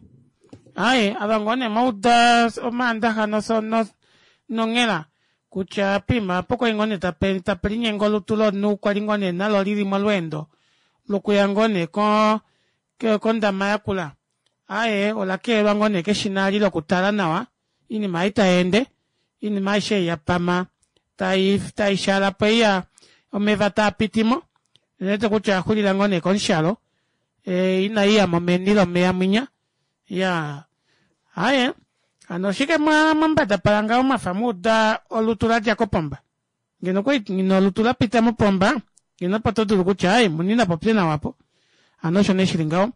Aaye, ava ngoo nee mwauda Omaandaxa noso no nonghela kutya poima opo kwali ngoo nee tape tape linyenge olutu lomunhu kwali ngoo nee nalo lili molweendo lokuya ngoo nee ko kondama yakula. Aaye, ola keelwa ngoo nee keshina ali lokutala nawa oinima ei tai ende, oinima aishe ei ya pama tai tai shala po ei ya omeva taa piti mo, ondiwete kutya oya xulila ngoo nee komushalo e, inai ya mo meni lomeya mwinya. Ya aaye, hano oshike mwa mwambadapala ngaho mwafa mwa uda olutu la dja kopomba? Ngeno okwali ngeno olutu la pita mopomba, ngeno opo to dulu kutya aaye muni na popye nawa po. Hano osho nee shili ngaho.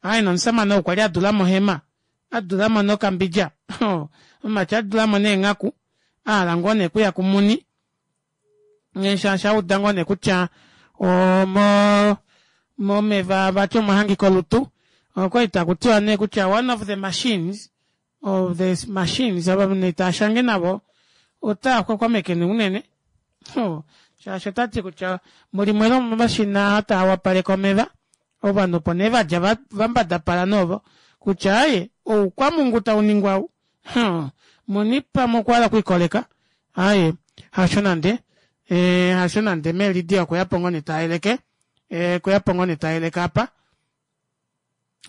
Aaye nomusamane ou kwali a dula mo ohema, a dula mo nokambidja, omumati a dula mo neenghaku, a hala ngoo nee okuya kumuni, shaashi a uda ngoo nee kutya omo momeva vati omwa hangika olutu. Okwali taku tiwa nee kutya one of the machines of the machines ava nee taa shange navo otaa xwaxwameke nee unene shaashi ota ti kutya mulimwe lomomashina taa wapaleke omeva ovanhu opo nee va dja va mbadapala noovo kutya aaye oukwamungu tau ningwa ou muni pamwe okwa hala okwiikoleka aaye hasho nande e, hasho nande meelidia okwe ya po ngoo nee ta yeleke e, okwe ya po ngoo nee ta yeleke apa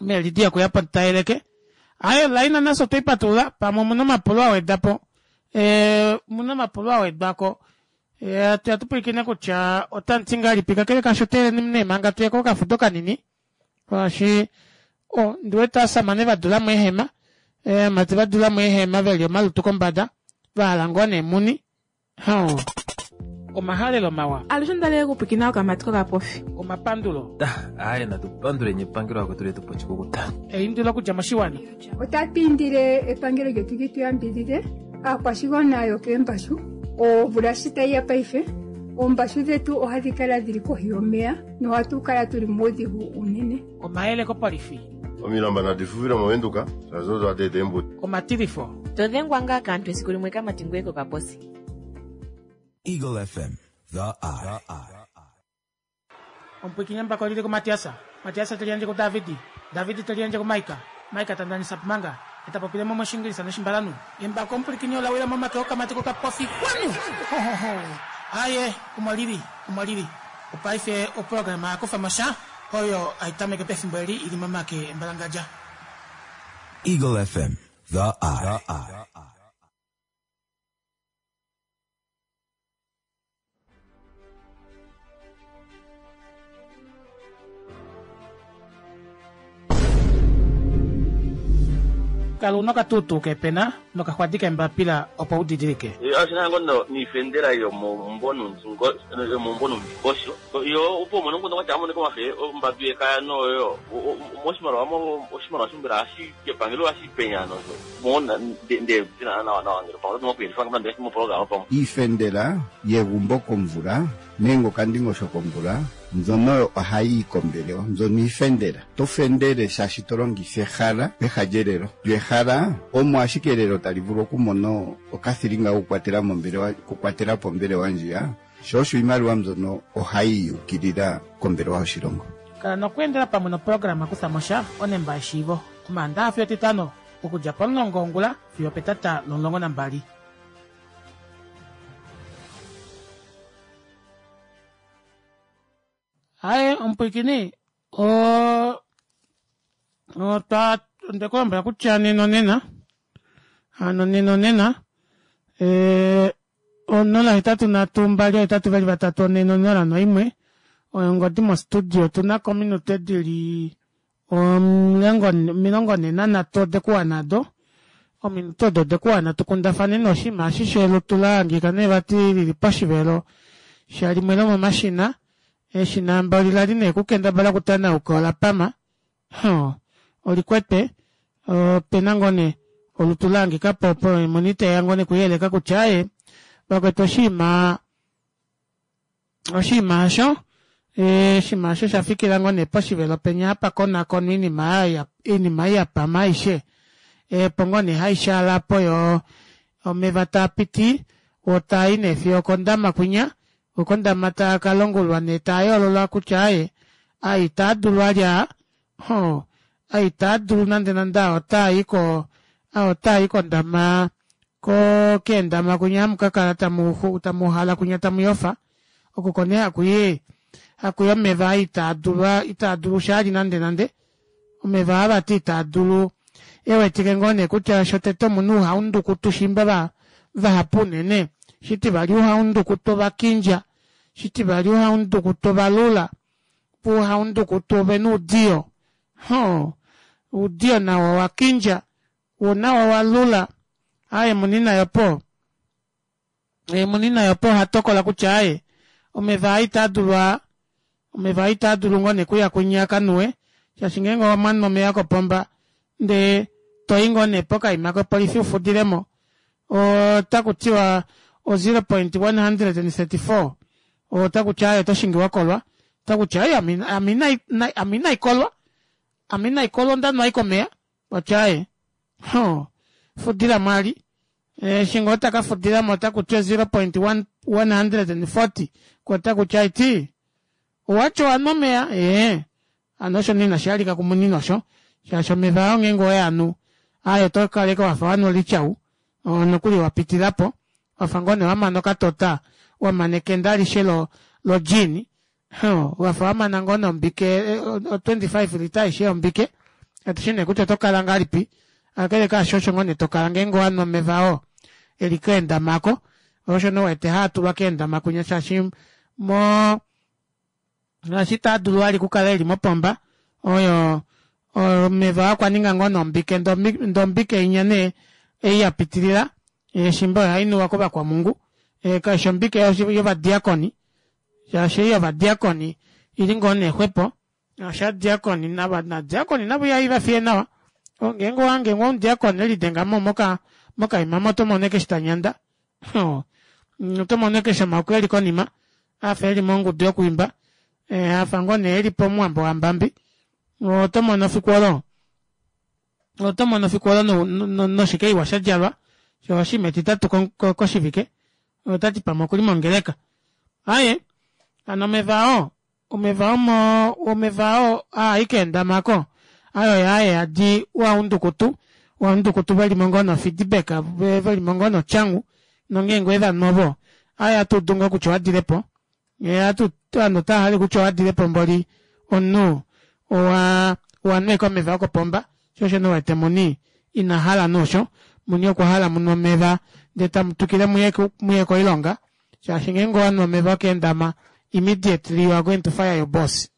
meelidia okwe ya po ta yeleke aaye laina nafye otwei patulula pamwe omuna omapulo a weda po e, omuna omapulo a wedwa ko e, atu ya tu pwilikine kutya otamu ti ngahelipi kakele kaasho teeleni nee manga tuye kokafudo kanini Shaashi o, ndi wete aasamane va dula mo eehema, eemati va dula mo eehema ve li omalutu kombada, va hala ngoo nee muni. Hoo. Omahalelo mawa. Alushe onda li okupwikina okamati kokapofi. Omapandulo. Aaye natu panduleni epangelo lakwetu letu pa oshikukuta. Eindilo okudja moshiwana. Otatu indile epangelo lyetu li tu yambidhidhe aakwashigwana yokeembashu. Omvula shi tayi ya paife, oombashu dhetu ohadhi kala dhili kohi yomeya nohatu kala tuli muudhigu uunene. Omayele kopolifi. Omilamba nadi fufile mOvenduka, shaashi odo hadi eta eembudi. Omatilifo. To dhengwa ngaa kaantu esiku limwe kamati ngoye kokaposi. Eagle FM, The Eye. Omupwiikini embako oli li kuMatias, Matias te liyandje kuDavid, David te liyandje kuMaika, Maika ta ndanisa Pumanga, e ta popile mo mOshiingilisa nOshimbalanhu. Embako omupwilikini ola wila momake okamati kokapofi. Kwanu! Ho-ho-ho! Aaye, omo li li, omo li li. Opaife oprograma ya kufa mo sha, oyo hai tameke pefimbo eli i li momake embalangadja. Eagle FM, The Eye. Kala u na okatuutuu keepena nokaxwadi keembapila opo u didilike. Oshi na ngoo noifendela yomomumbo nomundingosho yo opo umone omukundu kwatya amoneka omafe ombadu yekaya noyo moshimaliwa oshimaliwa mbela hashi epangelo hashi penya nosho mo nde nawa nawa ngelo pamwe oto nde mopologama pamwe Iifendela yegumbo komvula nenge okandingosho komvula mbyono oyo ohayi yi kombelewa mbyono iifendela. To fendele shaashi to longitha ehala peha lyelelo. Lyo ehala omo ashike elelo tali vulu okumona okathilinga kokukwatela mombelewa okukwatela po ombelewa ndjiya, sho osho iimaliwa mbyono ohayi yi ukilila kombelewa yoshilongo. Kala nokweendela pamwe noprograma Kutha mo sha onemba yeshiivo Omaandaxa fiyo Etitano okudja pomulongo wongula fiyo opetata lomulongo nambali. Aye omupwiikini o otwa onde ku lombwela kutya nena onena hano nena onena eh, 0 8 3 2 8 2 3 4 0 1 oyo ongodi mostudio otu na ko ominute di li 43 ode ku wana do ominute odo ode ku wana tu kundafaneni oshinima eshi shelutu la hangika nee vati lili poshivelo shalimwe lomomashina eshina mboli lali nee kukendabala okutanauka ola pama Hoo, olikwete opena ngoo nee olutu la hangika po opo muni teya ngoo nee kuyeleka kutya aaye vakwetu oshinima oshinima osho oshinima osho sha fikila ngoo nee poshivelo penya hapa konakonwa iinima iinima ei ya pama aishe opo ngoo nee haishaala po yo. Omeva taa piti oo taa i nee fiyo okondama kwinya, ko kondama taa ka longululwa nee taa yoololwa kutya aaye aa itaa dulu ali aa, hoo aa itaa dulu nande nande aa otaa i ko aa otaa i kondama ko keendama kwinya hamu ka kala tamu tamuuhala kwinya tamu yofa oko oko nee hakuyi hakuyi omeva aa itaa dulu itaa dulu shali nande nande omeva aa vati itaa dulu ewetike ngoo nee kutya shotete omuna ouhaundukutu shiimba vahapu unene shitivali ouhaundukutu ovakindja shitivali ouhaundukutu ovalula voo ouhaundukutu ovena oudiyo hoo oudiyo nawo owakindja woo nawo owalula aaye muni naye opo muni naye opo ohatokola kutya aaye omeva aa itaadulu aa omeva aa itaadulu ngoo nee okuya kwinya akanuwe shaashi ngeenge omwanu omeva kopomba ndee toyi ngoo nee pokaima kopolifi ufudilemo otakutiwa o 0.134 otakuti aaye otoshingi wakolwa otakuti aaye ame inaikolwa ame inaikolwa ondanwa ashike omeva Okwa aaye hoo fudilamo ali eshi ngoo taka fudilamo otakuti o 0.140 koo otakuti aiti owati owanwa omeya ee hano osho nee inashi halika kumunini osho shaashi omeva oo ngeenge oweanu aaye oto kala ashike wafa wanwa olityau nokuli wapitililapo wafa ngoo nee wamana okatota wamana ekende alishe lo lo gin Wafa wamana ngoo nombike o 25 lita aishe yombike katushi nee kutya oto kala ngahelipi kakele kaasho osho ngoo nee tokala ngeenge owanhu omeva oo eli keendama ako osho nee wete haa tulwa keendama kwinya shaashi mo ngaashi taa dulu vali okukala eli mopomba oyo omeva okwa ninga ngoo nombike ndee ombike inya nee ei ya pitilila shimba oyo hainuwa kovakwamungu kaishi ombike yovadiakoni shaashi ei yovadiakoni ili ngoo nee xwepo shaashi ovadiakoni nava nadiakoni navo ihaiva fiye nawa ngeenge owahange ngoo omudiakoni elidengamo moka mokaima omo oto mono ashike eshi tanyanda oto mono ashike eshi omaoko eli konima afa eli mongudu yokwiimba afa ngoo nee eli pomuwambo wambambi oto mono fiku olo oto mono fiku olo noshike iwa sha djalwa sho oshinima etitatu koshivike otati pamwe okuli mongeleka aye hano omeva oo omeva omo omeva oo aa keendama ko ayo yaaye adi waundukutu waundukutu velimo ngoo nofeedback velimo ngoo notyangu nongeenge owevanhu ovo aye atuudu ngoo kutya owadilepo ovanhu otava hale kutya owadilepo mboli omunhu owa owanweka omeva okopomba sho osho nee wete muni ina hala noosho muni okwa hala munwe omeva ndee tamu twikile muye koilonga shaashi ngeenge owanhu omeva okeendama immediately you are going to fire your boss.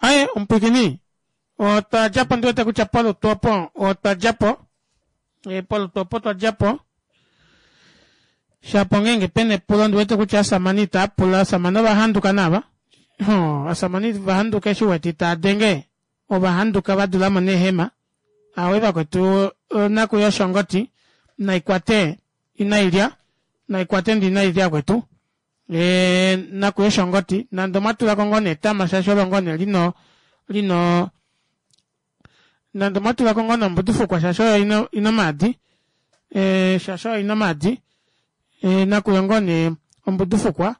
Aye omupwikini otwa djapo ndi wete kutya polutu opo otwa djapo polutu opo twa djapo shapo ngeenge pena epulo ndi wete kutya asamane itaa pula asamane ova handuka naava asamane va handuka eshi wete itaa denge ova handuka va dulamo neehema awe vakwetu nakuya oshongoti naikwate inailya naikwate ndi inailya kwetu e, nakuya oshongoti nande omwa tulako ngoo netama shaashi olo ngoo nee lino lino nande omwa tulako ngoo nombudufukwa shaashi oyo ino ino maadi e, shaashi oyo ino maadi e, nakuya ngoo nee ombudufukwa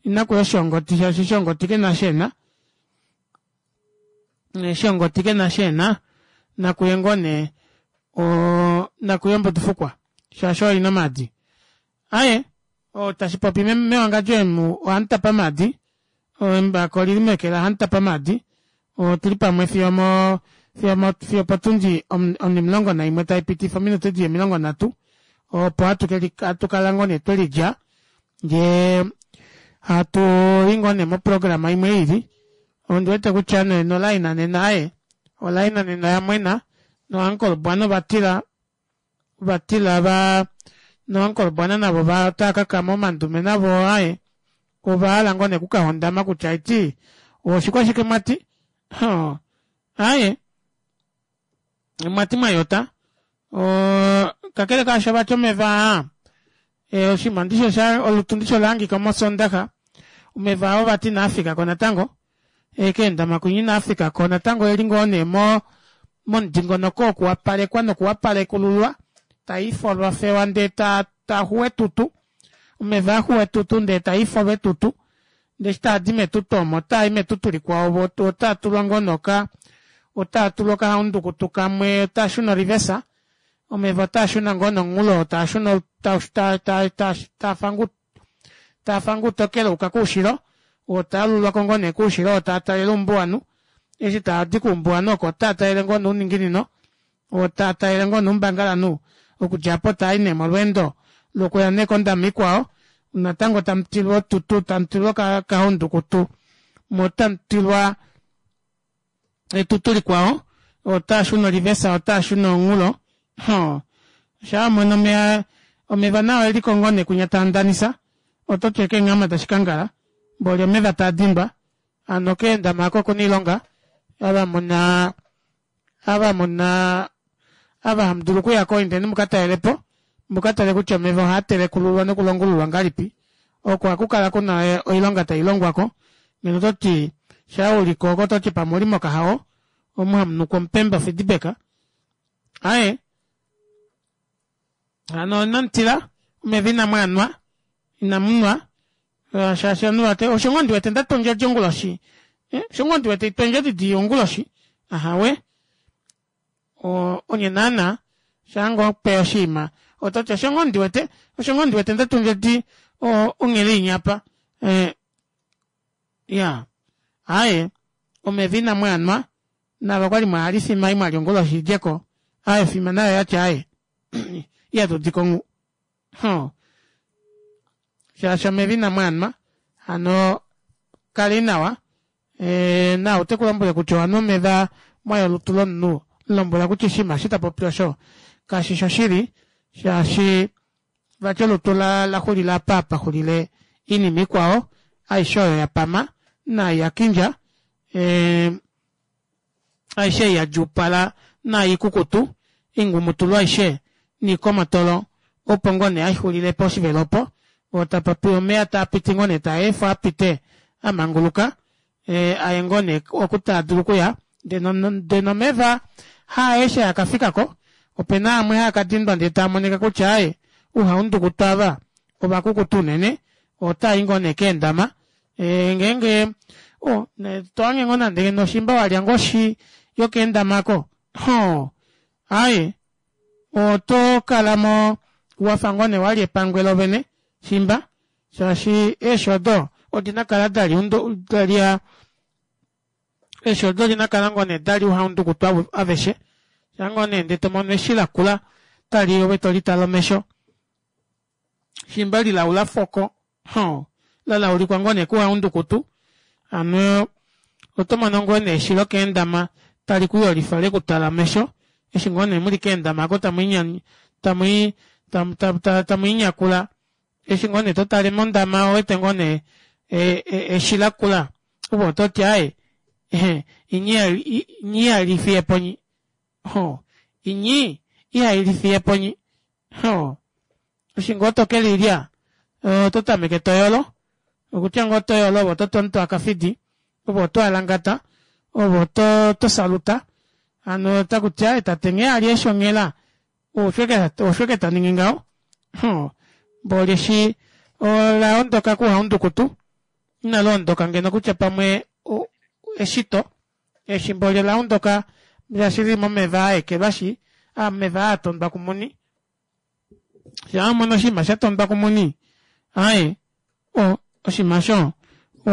inakuya oshongoti shaashi shongoti kena shena shongoti kena shena nakuye ngoo nee o nakuye ombudufukwa shaashi oyo ino maadi Aye, oo tashi popi mewangadjo emu ohamutapa maadi, embako olili meke la hamutapa maadi, otuli pamwe fiyo mo fiyo mo fiyo potundi onimulongo naimwe tai pitifa ominute dili 30 opo hatu keli hatu kala ngoo nee twelidja ndee hatu i ngoo nee moprograma imwe ili ondi wete kutya nee nolaina nena aye olaina nena yamwena noankolobwana ovatila vatila va noankolobwana navo va otava kakama omandume navo aye ova hala ngoo nee okukahondama kutya aiti oshikwashike mwati aye mwati mwayota kakele kaasho vati omeva aa oshinima ndishi osha olutu ndishi olahangika mosondaxa omeva oo vati inaafika ko natango keendama kwinya inaafika ko natango eli ngoo nee mo momudingonoko wokuwapalekwa nokuwapalekululwa. Taifolwa fewa ndee ta taxu etutu omeva axuwa etutu ndee taifolwa etutu ndee eshi taadi metutu omo otaai metutu likwao vo otaa tulwa ngoo noka otaa tulwa okahaundukutu kamwe otaashuna orivesa omeva otaashuna ngoo nomunghulo taashuna taafa outokele ayuka koushilo oo taalulwako ngoo nee koushilo oo taatalele oumbuwanhu eshi taadi koumbuwanhu oko otaa talele ngoo nee ouninginino oo taatalele ngoo nee oumbangalanhu okudja aapo taai nee molweendo lokuya nee kondama ikwao natango tamutilwa otutu tamutilwa okahaundukutu moo otamutilwa etutu likwao otaashuna olivesa otaashuna omunghulo hoo shaa wamono omeva omeva nao eliko ngoo nee kunya taandanisa ototi okeenghama dashikangala mboli omeva taadindwa hano keendama aako okuna oilonga ava muna ava muna ava hamudulu okuyako indeni mukatalelepo mukatale kutya omeva ohaatelekululwa nokulongululwa ngahelipi oko ohakukala kuna oilonga tailongwako ngeno ototi shaa uliko oko ototi pamwe ouli mokahao omu hamunukwa omupemba ofidibeka aaye hano inamutila omeva inamwaanwa inamunwa eh, shaashi ovanhu vati osho ngoo ndiwete ndatwa ondjodi onguloshi eh, osho ngoo ndiwete itwa ondjodi dii onguloshi ahawe onye naana shaa ngoo pe oshiima ototi osho ngoo ndiwete osho ngoo ndiwete ndatwa ondjodi onghele inyapa eh, ya aaye omeva inamwaanwa nava kwali mwahala ifima ei mwalya onguloshi idjeko aaye ofima nayo oyati aaye ihatudiko nghu Huh. Shaashi omeva inamu anwa, hano kali nawa. E, na ote ku lombwele kutya owanwa omeva mwaya olutu lomunhu, lombwela kutya oshinima eshi ta popi osho kashi shoshili, shaashi vati olutu la, la xulila apa pa xulile oinima ikwao aishe oyo ya pama naai ya kindja. E, aishe ei ya djuupala naai ikukutu, iingumutulu aishe niikomotolo, opo ngoo nee hai xulile poshivelo opo, oo tapa pi omeya taa piti ngoo nee taa efwa a pite a manguluka, e, aye ngoo nee oku taa dulu okuya, ndee nomeva haaeshe haa ka fika ko, ope na amwe haa ka dindwa ndee taa monika kutya aaye ouhaundukutu ava ovakukutu unene, otaa i ngoo nee keendama Eh, ngeenge oh, to hange ngoo nande ngeno shimba walya ngoo oshi yokeendama ako ho aye oto kala mo wafa ngoo nee walya epangwe lovene shimba shaashi eeshi odo odina kala dali dalya eeshi odo odina kala ngoo nee dali uhaundukutu aveshe shaa ngoo nee ndee tomono eshi lakula tali ove tolitale omesho shimba lilaula foko Hoo, la laulikwa ngoo nee kuhaundukutu, hano oto mono ngoo nee eshilo keendama tali ku yolifa le ku twala omesho, eshi ngoo nee muli keendama oko tamu tamu tamu tamu inyakula, eshi ngoo nee to tale mondama owete ngoo nee eshi lakula, ove oto ti aaye inyi ihali fiye po nyi, hoo inyi ihai fiye po nyi, hoo. Eshi ngoo to ke lilya oto tameke to yolo, okutya ngoo oto yolo ove oto ti omuntu akafidi, ove oto alangata, ove oto to saluta, hano otaku ti aaye tate nghee ali eshi onghela osho eke ta ningi ngaho, hoo mboli eshi ola ondoka kuhaundukutu, inali ondoka ngeno kutya pamwe eshito, eshi mboli ola ondoka shaashi lili momeva a ekelwashi, omeva aa tondwa kumuni. Shaa wamono oshinima sha tondwa kumuni, aaye, o, oshinima osho, o,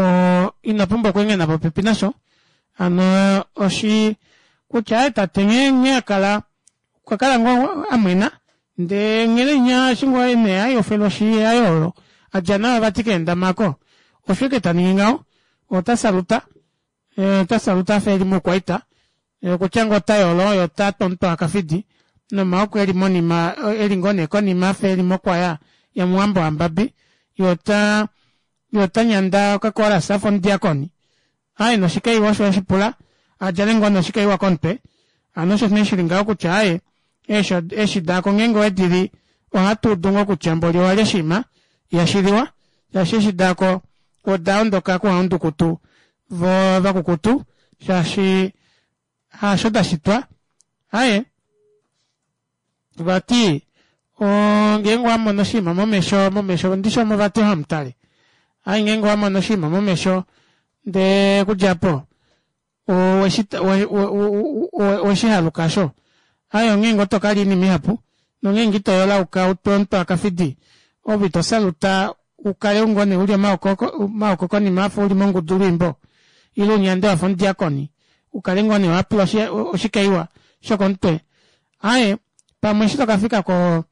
ino pumbwa okweengena popepi nasho. Hano oshi, kutya aaye tate nghee, nghee a kala, okwa kala ngoo a mwena, ndee nghele inya eshi ngoo nee a yofelwa oshi yaye oyo a dja nayo vati keendama oko, osho ike ta ningi ngaho, ota saluta. Ota saluta afa eli moukwaita, okutya ngoo ota yolo ye ota twa omutwe wakafidi, nomaoko eli monima, eli ngoo nee konima afa eli mokwaya yamuwambo wambabi, ye ota, ye ota nyanda okakoolasa afa omudiakoni. Aaye noshikaiwa osho eshi pula a djale ngoo nee oshikaiwa komutwe. Hano osho nee shili ngaho kutya aaye, eeshi, eeshi daako ngeenge owedi li, ohatu udu ngoo kutya mboli owalya oshinima ihashi liwa, shaashi eeshi daako oda ondoka kuhaundukutu vo vakukutu shaashi haasho da shitwa. Aye, vati. Ngeenge owamono oshinima momesho momesho ndishi omo vati hamutale ai ngeenge owamono oshinima momesho ndee okudja opo oweshihaluka osho ai onghee ngoo tokalya oinima ihapu nongeenge ito yolauka utwe omutwe wakafidi ove ito saluta ukale ngoo nee uli omaoko konima wafa uli mongudu lwiimbo ile unyande wafa omudiakoni ukale ngoo nee wapula oshikaiwa shokomutwe aaye pamwe eshi tokafika ko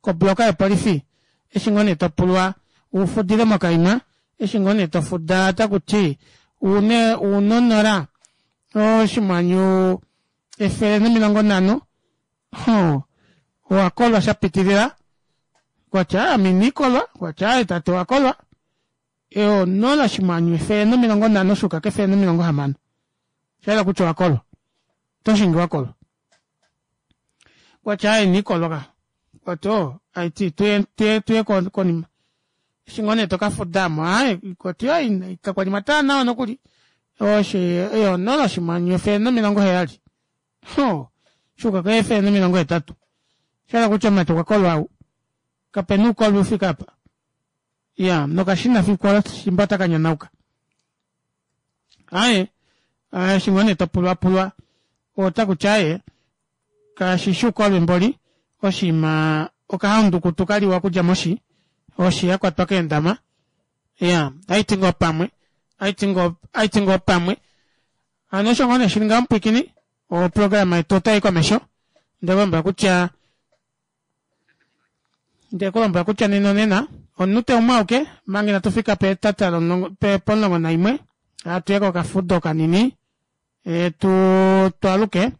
kobloka yopolifi eshi ngoo nee topulwa ufudile mokaima eshi ngoo nee tofuda otakuti une unonola oshimwanyu 150 hoo owakolwa shapitilila kwatya ame iniikolwa kwatya aaye tate owakolwa onola oshimwanyu 150 shuuka kefele nomilongo hamano shayela kutya owakolwa otoshingi wakolwa kwatya aaye iniikolwa ka kwati oo aiti tuye tuye tuye konima eshi ngoo nee tokafudamo aaye kwati ai kakwali mwatala nawa nokuli oshi onola oshimwanyu 170 hoo shuuka ko 180 shahala kutya omumati okwa kolwa ou kapena uukolwi ufike apa iya nokashina fiku olo shimba otaka nyanauka aaye eshi ngoo nee topulwapulwa otakuti aaye kashishi uukolwi mboli oshinima okahaundukutu kaliwa okudja moshi oshi yakwatwa keendama iya ohaiti ngoo pamwe ohaiti ngoo pamwe hano osho ngoo nee shili ngaho mupwiikini oprograma yetu otayi komesho ndekulombwela kutya ndekulombwela kutya nena onena omunute umwe auke manga inatu fika petata lomulongo pomulongo naimwe hatuye kokafudo kanini e, tu twaluke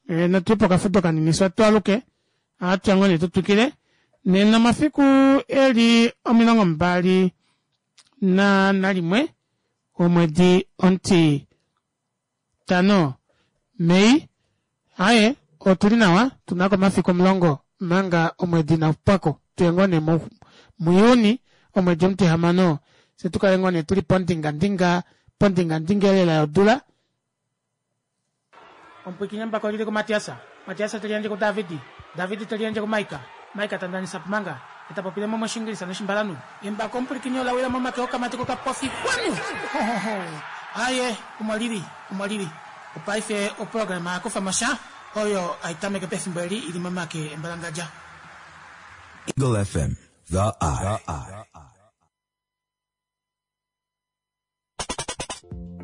e, natuye pokafudo kanini swa twaluke ohatuya ngoo nee tutwikile nena omafiku eli 21 na nalimwe omwedi omuti 5 Mei aye otuli nawa tunako omafiku 10 manga omwedi inaupwako tuye ngoo nee muJuni omwedi omutihamano fye tukale ngoo nee tuli pondingandinga pondingandinga elela yodula. Omupwiikini embako olili kuMatias, Matias te liyandje kuDavid, David te liyandje kuMaika, Maika ta ndanisa Pumanga, e ta popile mo mOshingilisa nOshimbalanhu. Embako omupwilikini ola wila momake okamati kokapofi kwanu! Hohoho! Aaye, omo li li, omo li li. Opaife oprograma ya kufa mo sha oyo hai tameke pefimbo eli i li momake embalangadja. Eagle FM, The Eye.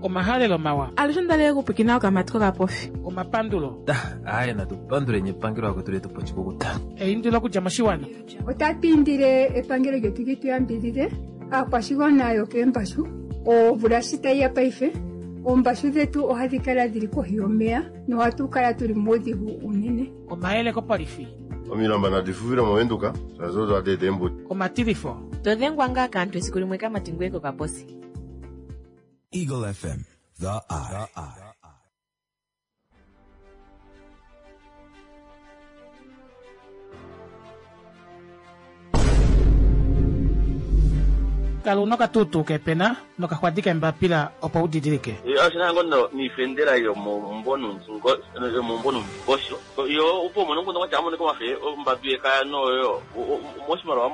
Omahalelo mawa. Alushe onda li okupwikina okamati kokapofi. Omapandulo. Aaye natu panduleni epangelo lakwetu letu pa oshikukuta. Eindilo okudja moshiwana. Otatu indile epangelo lyetu li tu yambidhidhe aakwashigwana yokeembashu omvula shi tayi ya paife oombashu dhetu ohadhi kala dhili kohi yomeya nohatu kala tuli muudhigu uunene. Omayele kopolifi. Omilamba nadi fufile mOvenduka shaashi odo hadi eta eembudi. Omatilifo. To dhengwa ngaa kaantu esiku limwe kamati ngoye kokaposi. Eagle FM, The Eye. Kala una okatuutuu keepena nokaxwadi keembapila opo u didilike. Oshina ngoo niifendela yomomumvo nuundingosho yo opo umone omukundu kwatya amonike omafe ombadu yekaya noyo moshimaliwa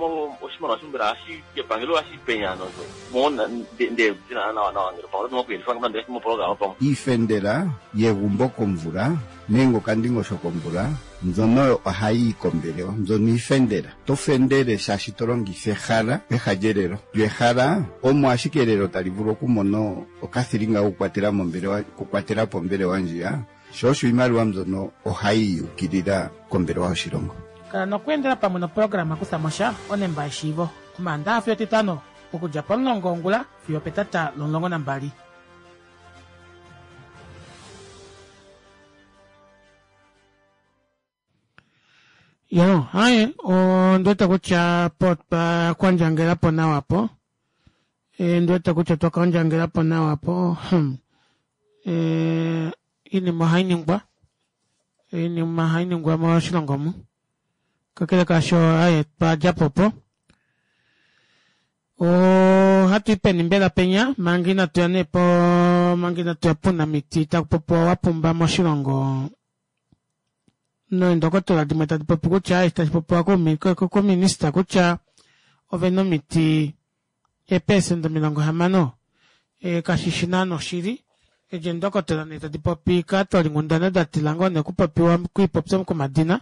oshimaliwa sho mbela ohashi epangelo ohashi penya no mo nde dina nawa nawa ngele pamwe oto kuyelifa ngame ndele moprograma pamwe. Iifendela yegumbo komvula nenge okandingosho komvula mbyono oyo ohayi yi kombelewa mbyono iifendela. To fendele shaashi to longitha ehala peha lyelelo. Lyo ehala omo ashike elelo tali vulu okumona okathilinga kokukwatela mombelewa okukwatela po ombelewa ndjiya. Sho osho iimaliwa mbyono ohayi yi ukilila kombelewa yoshilongo. Kala nokweendela pamwe noprograma Kutha mo sha, onemba yeshiivo, Omaandaxa fiyo Etitano, okudja pomulongo wongula fiyo opetata lomulongo nambali. Yo, haye, ondi wete kutya po twa kwandjangela po nawa po. E, ndi wete kutya twa kwandjangela po nawa po. Hmm. E, iinima ohayi ningwa. Iinima ohayi ningwa moshilongo mu. Kakele kaasho, aye, twa dja po po. Ohatu i peni mbela penya manga inatu ya nee po manga inatu ya puunamiti taku popiwa wa pumba moshilongo. Neendokotola dimwe tadi popi kutya eshi tashi popiwa kominista kutya ove na omiti eepesenda 60 kashi shi naana oshili. Edi eendokotola nee tadi popi kaatolinghundana da tila ngoo nee okupopiwa okwiipopya komadina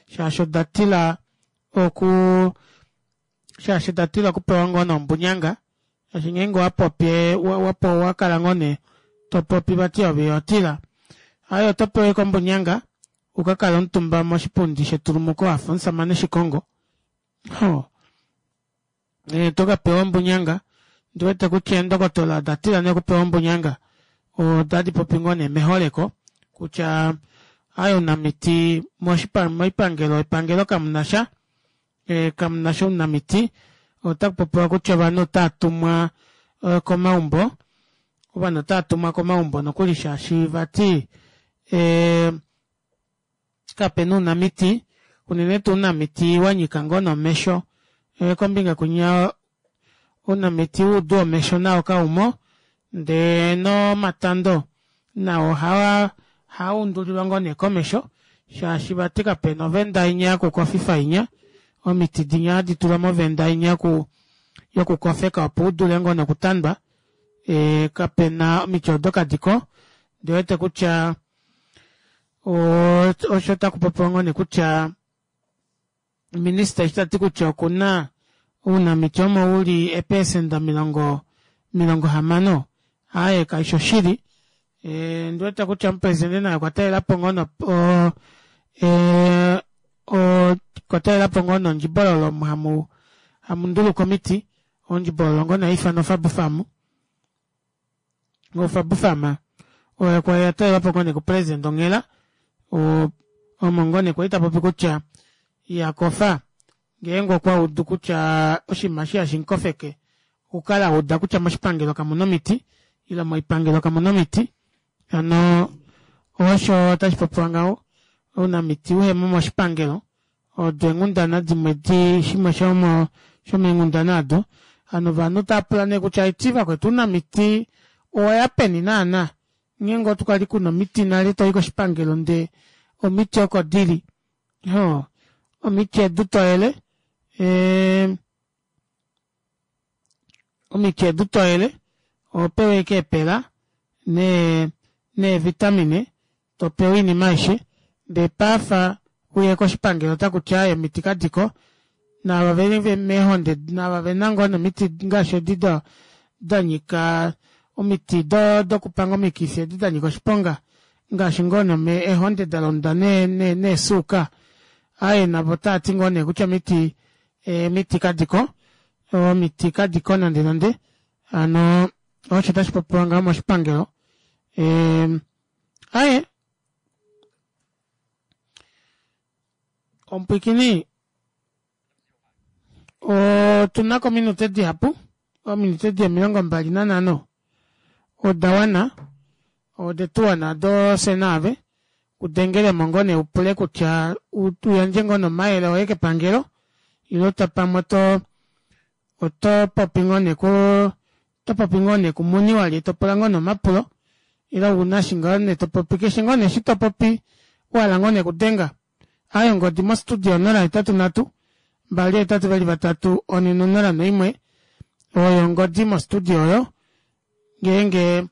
shaashi oda tila oku shaashi oda tila okupewa ngoo nee ombunyanga shaashi ngeenge owa popi wa kala ngoo nee to popi vati ove iho tila aaye oto pewa ashike ombunyanga uka kale omutumba moshipundi shetulumuko wafa omusamane Shikongo. Hoo. Oto ka pewa ombunyanga. Ondi wete kutya eendokotola oda tila nee okupewa ombunyanga. Otadi popi ngoo nee meholeko kutya aaye ounamiti moipangelo epangelo kamu na sha. Kamu na sha ounamiti. Otaku popiwa kutya ovanhu otava tumwa komaumbo. Ovanhu otava tumwa komaumbo nokuli shaashi vati Kape na ounamiti, unene tuu ounamiti wa nyika ngoo nomesho. Kombinga kwinya ounamiti woudu womesho nao kaumo, ndee nomatando nao ohaa undulilwa ngoo nee komesho shaashi vati kape na ovenda inya yokukofifa inya, omiti dinya hadi tulwa movenda inya yokukofeka opo u dule ngoo nokutandwa, kape na omiti odo kadi ko. Ondi wete kutya Osho taku popiwa ngoo nee kutya minista eshi tati kutya okuna ounamiti omo uli eepesenda 60 aaye kaishi oshili. Ondi wete kutya omupresidente naye okwa talelapo ngoo okwa talelapo ngoo nondjibololo omo hamu ndulukwa omiti, ondjibololo ngoo nee haifanwa oFabufamu. Ofabufama oyo kwa ya talelwapo ngoo nee kupresident onghela omo ngoo nee kwali tapopi kutya iha kofa ngeenge okwa udu kutya oshinima eshi hashi mukofeke okukala auda kutya moshipangelo kamuna omiti ile moipangelo kamuna omiti hano osho tashi popiwa ngaho ounamiti uhemo moshipangelo Odo eenghundana dimwe di shimwe shomo shomeenghundana ado. Hano ovanhu tava pula nee kutya eti vakwetu ounamiti owa ya peni naana? Ngeenge otu kwali kuna omiti nale toyi koshipangelo nde omiti oko dili. Hoo omiti edu toyele ee Omiti edu toyele oho pewa ashike eepela neevitamine to pewa oinima aishe ndee paafa uye koshipangelo otaku ti aaye omiti kadiko naava veli meehonde naava vena ngoo nomiti ngaashi edi da nyika omiti dokupanga omikifi edi da nyika oshiponga ngaashi ngoo nome eehonde da londa neesuuka aaye navo otava ti ngoo nee kutya omiti Omiti kadi ko, omiti kadi ko nande nande. Hano osho tashi popiwa ngaho moshipangelo. Aye omupwikini otu na ko ominute dihapu, ominute di 25 oda wana, ode tu wana do fye naave. Kudengele mo ngoo nee upule kutya u yandje ngoo nee omayele oye kepangelo ile to pamwe oto oto popi ngoo nee ku oto popi ngoo nee kumuni walye to pula ngoo nee omapulo ile ouna eshi ngoo nee to popi keshe ngoo nee eshi to popi wa hala ngoo nee okudenga. Aaye ongodi mostudio 083 283 401 oyo ongodi mostudio oyo ngeenge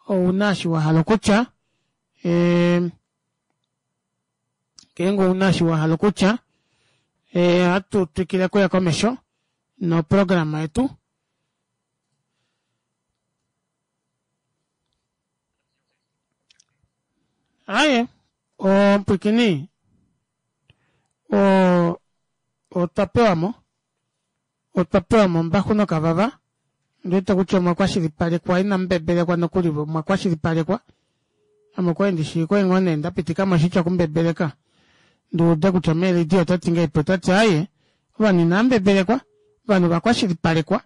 ouna eshi wa hala okutya. Ngeenge ouna eshi wa hala okutya, ohatu twikile okuya komesho noprograma yetu. Aye, omupwikini otwa pewa mo. Otwa pewa mo ombaxu nokavava. Ondi wete kutya omwa kwashilipalekwa, inamu mbebelekwa nokuli, omwa kwashilipalekwa. Ame okwali ndi shii kwali ngoo nee nda pitika mo oshitya okumbebeleka, ndi ude kutya mee Lydia ota ti ngahelipi. Ota ti, Aaye, ovanhu inava mbebelekwa, ovanhu ova kwashilipalekwa,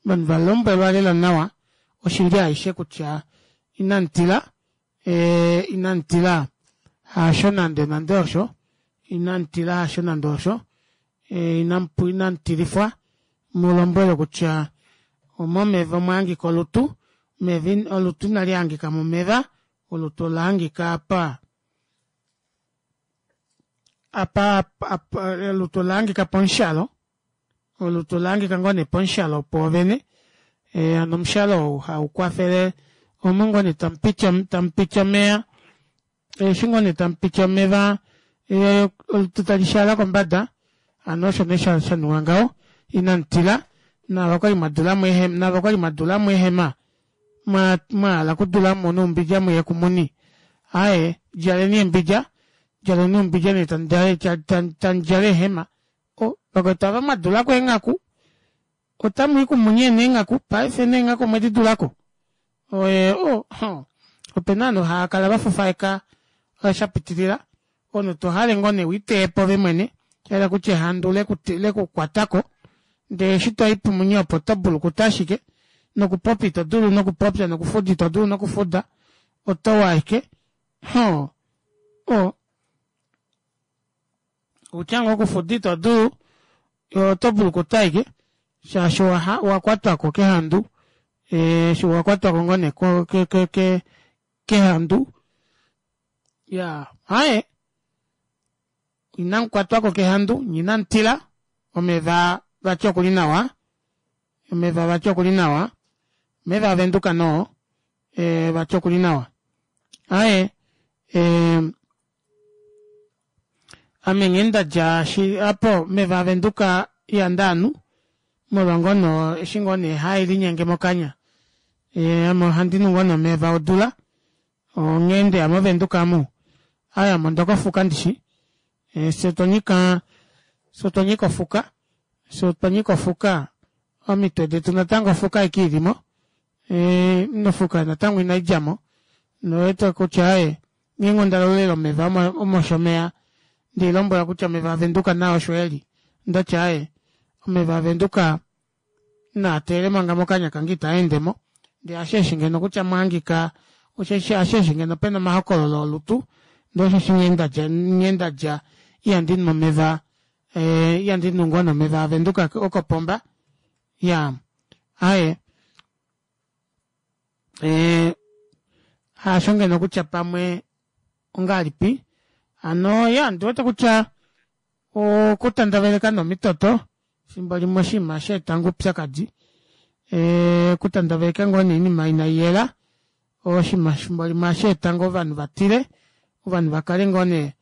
ovanhu va lombwelwa lela nawa oshili aishe kutya inamu tila, ee, inamu tila, hasho nande nande osho, inamu tila hasho nande osho. Inamu tilifwa mu lombwelwe kutya momeva omwa hangika olutu, omeva olutu inali hangika momeva, olutu ola hangika apa. Apa olutu olahangika pomushalo olutu olahangika ngoo nee pomushalo pwoovene hano omushalo ou haukwafele omo ngoo nee tamupiti omeva eshi ngoo nee tamupiti omeva olutu talishaala kombada hano osho nee shaningwa ngaho inamutila naava kwali mwadulamo naava kwali mwadulamo eehema mwahala okudulamo noumbidja muye kumuni aaye djaleni eembidja djaleni oumbidja nee tamudjala eehema oh vakwetu ava mwadulako eenghaku otamwii kumuni neengaku paife neenghaku omwedi dulako oye oh opena ovanhu haakala vafufaeka shapitilila omunhu tohale ngoo nee wiiteyepo ove mwene shahala kutya ehandu lekukwatako ndee eshi toyi pumuni opo oto bulukuta ashike nokupopya ito dulu nokupopya nokufuda ito dulu nokufuda otowu ashike hoo o Outya ngoo okufuda ito dulu, oto bulukuta ashike shaashi owa kwatwako kehandu eshi wa kwatwako ngoo nee kehandu iyaa aaye inamu kwatwako kehandu nye inamu tila omeva vati okuli nawa omeva vati okuli nawa omeva avenduka noo vati okuli nawa aaye Ame nghee ndadja shi apo meva aVenduka ihandi anu molwa ngoo nee eshi ngoo nee hae linyenge mokanya. Ame ohandi nu ngoo nee omeva odula onghee ndeya moVenduka amu aaye ame ondokofuka ndishi fye otwa nyika fye otwa nyika ofuka fye otwa nyika ofuka omitwe detu natango ofuka ashike ilimo nofuka natango inaidjamo nowete kutya aaye Ngeenge onda lolele omeva omoshomeya nde lombwela kutya omeva aVenduka naa osho eli, ndati aaye omeva aVenduka naa teele manga mokanya kange itaa ende mo. Ndee hasheeshi ngeno kutya mwa hangika osheshi hasheeshi ngeno pena omahokololo olutu ndee osheshi nghee ndadja nghee ndadja ihandi nu omeva ihandi nu ngoo nee omeva aVenduka okopomba iyaa aaye. Eh, haasho ngeno kutya pamwe ongahelipi hano ya ndiwete kutya okutandaveleka nomitoto fimbo limwe oshinima sha eta ngoo oupyakadi eh, okutandaveleka ngoo nee oinima inai yela oshinima fimbo limwe ohashi eta ngoo ovanhu va tile ovanhu va kale ngoo nee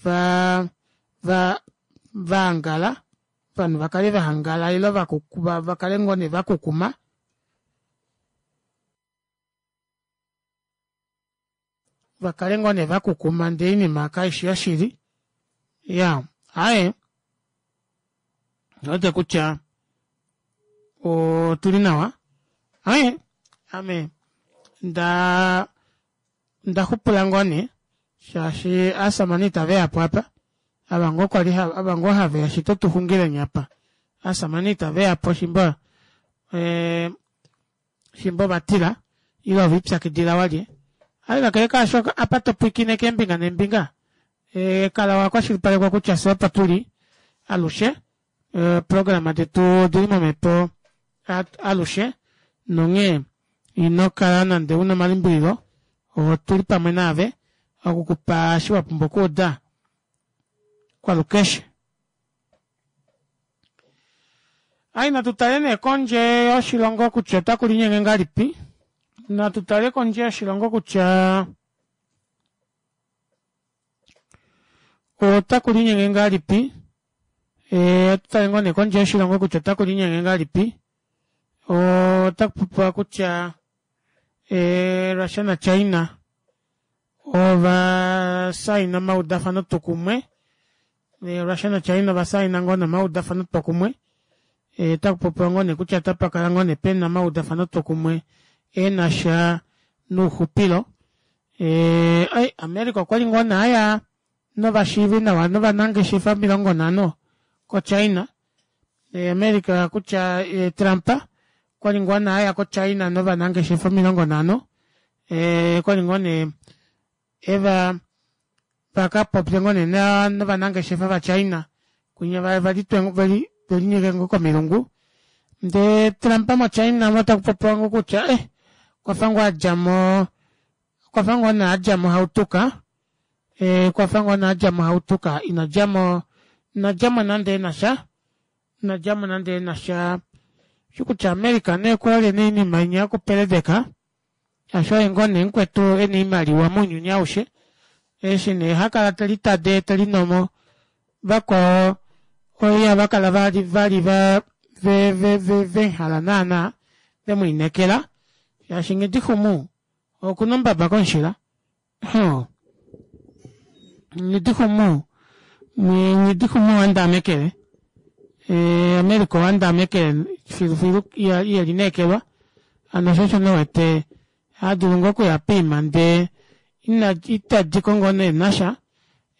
va va va angala ovanhu va kale va hangala ile va kale ngoo nee va kukuma va kale ngoo nee va kukuma ndee oinima kaishi yoshili ya aaye wete kutya otuli nawa aaye ame nda Onda xupula ngoo nee shaashi aasamane itave ya po apa. Ava ngoo kwali ava ngoo have ya shito tu xungileni apa. Aasamane itave ya po shimba eh, shimba ova tila ile ove ipyakidila walye. Aye kakele kaasho apa to pwiikine keembinga neembinga eh, kala wa kwashilipalekwa kutya fye opo tuli alushe Eeprograma detu odili momhepo alushe nonghee ino kala nande una omalimbililo, otuli pamwe naave oku ku pa eshi wa pumbwa okuuda kwalukeshe. Ai natu tale nee kondje yoshilongo kutya otaku linyenge ngahelipi. Natu tale kondje yoshilongo kutya otaku linyenge ngahelipi. Ohatu tale ngoo nee kondje yoshilongo kutya otaku linyenge ngahelipi. Otaku popiwa kutya Russia naChina ova saina omaudafano twokumwe. Russia naChina ova saina ngoo nee omaudafano twokumwe. Otaku popiwa ngoo nee kutya otapa kala ngoo nee pena omaudafano twokumwe e na sha nouxupilo. America okwali ngoo nee aya novashiivi nawa novanangeshefa 50 koChina. America kutya Trump okwa li ngoo nee aya koChina novanangeshefa 50 okwa li ngoo nee eva vaka popye ngoo nee novanangeshefa vaChina kwinya vali velinyeke ngoo komilungu ndee Trump moChina otaku popiwa ngoo kutya eh okwa fa ngoo adja mo okwa fa ngoo nee adja mohautuka. E, kwafa ngoo nee adja mohautuka ina djamo ina djamo nande ena sha ina djamo nande ena sha shi kutya America nee okuhole nee oinima inya yokupeledeka shaashi oye ngoo nee mukwetu ena oimaliwa mounyuni aushe eshi nee hakala telitade telinomo vakwao ihava kala vali vali va ve ve ve vehala naana vemwiinekela shaashi nghidixumu okuna ombaba komushila Hoo. Nghidixumu Nghidixumu owandaamekele eh, America owandaamekele filufilu iyelineekelwa hano sho osho nee wete hadulu ngoo okuya poima ndee ina itadiko ngoo nee nasha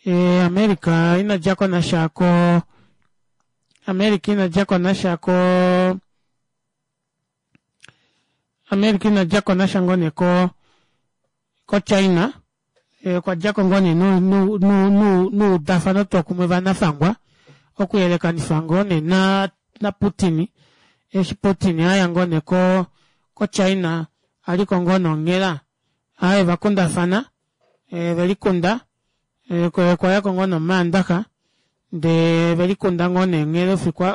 eh, America ina djako nasha ko America ina djako nasha ko America ina djako nasha ngoo nee ko koChina eh, okwa djako ngoo nee nuudafano twokumwe vanafangwa okuyelekanifa ngoo nee na naPutin eshi Putin aya ngoo nee ko koChina aliko ngoo nonghela aaye vakundafana eh, velikunda eh, okwayako ngoo nomaandaxa ndee velikunda ngoo nee onghela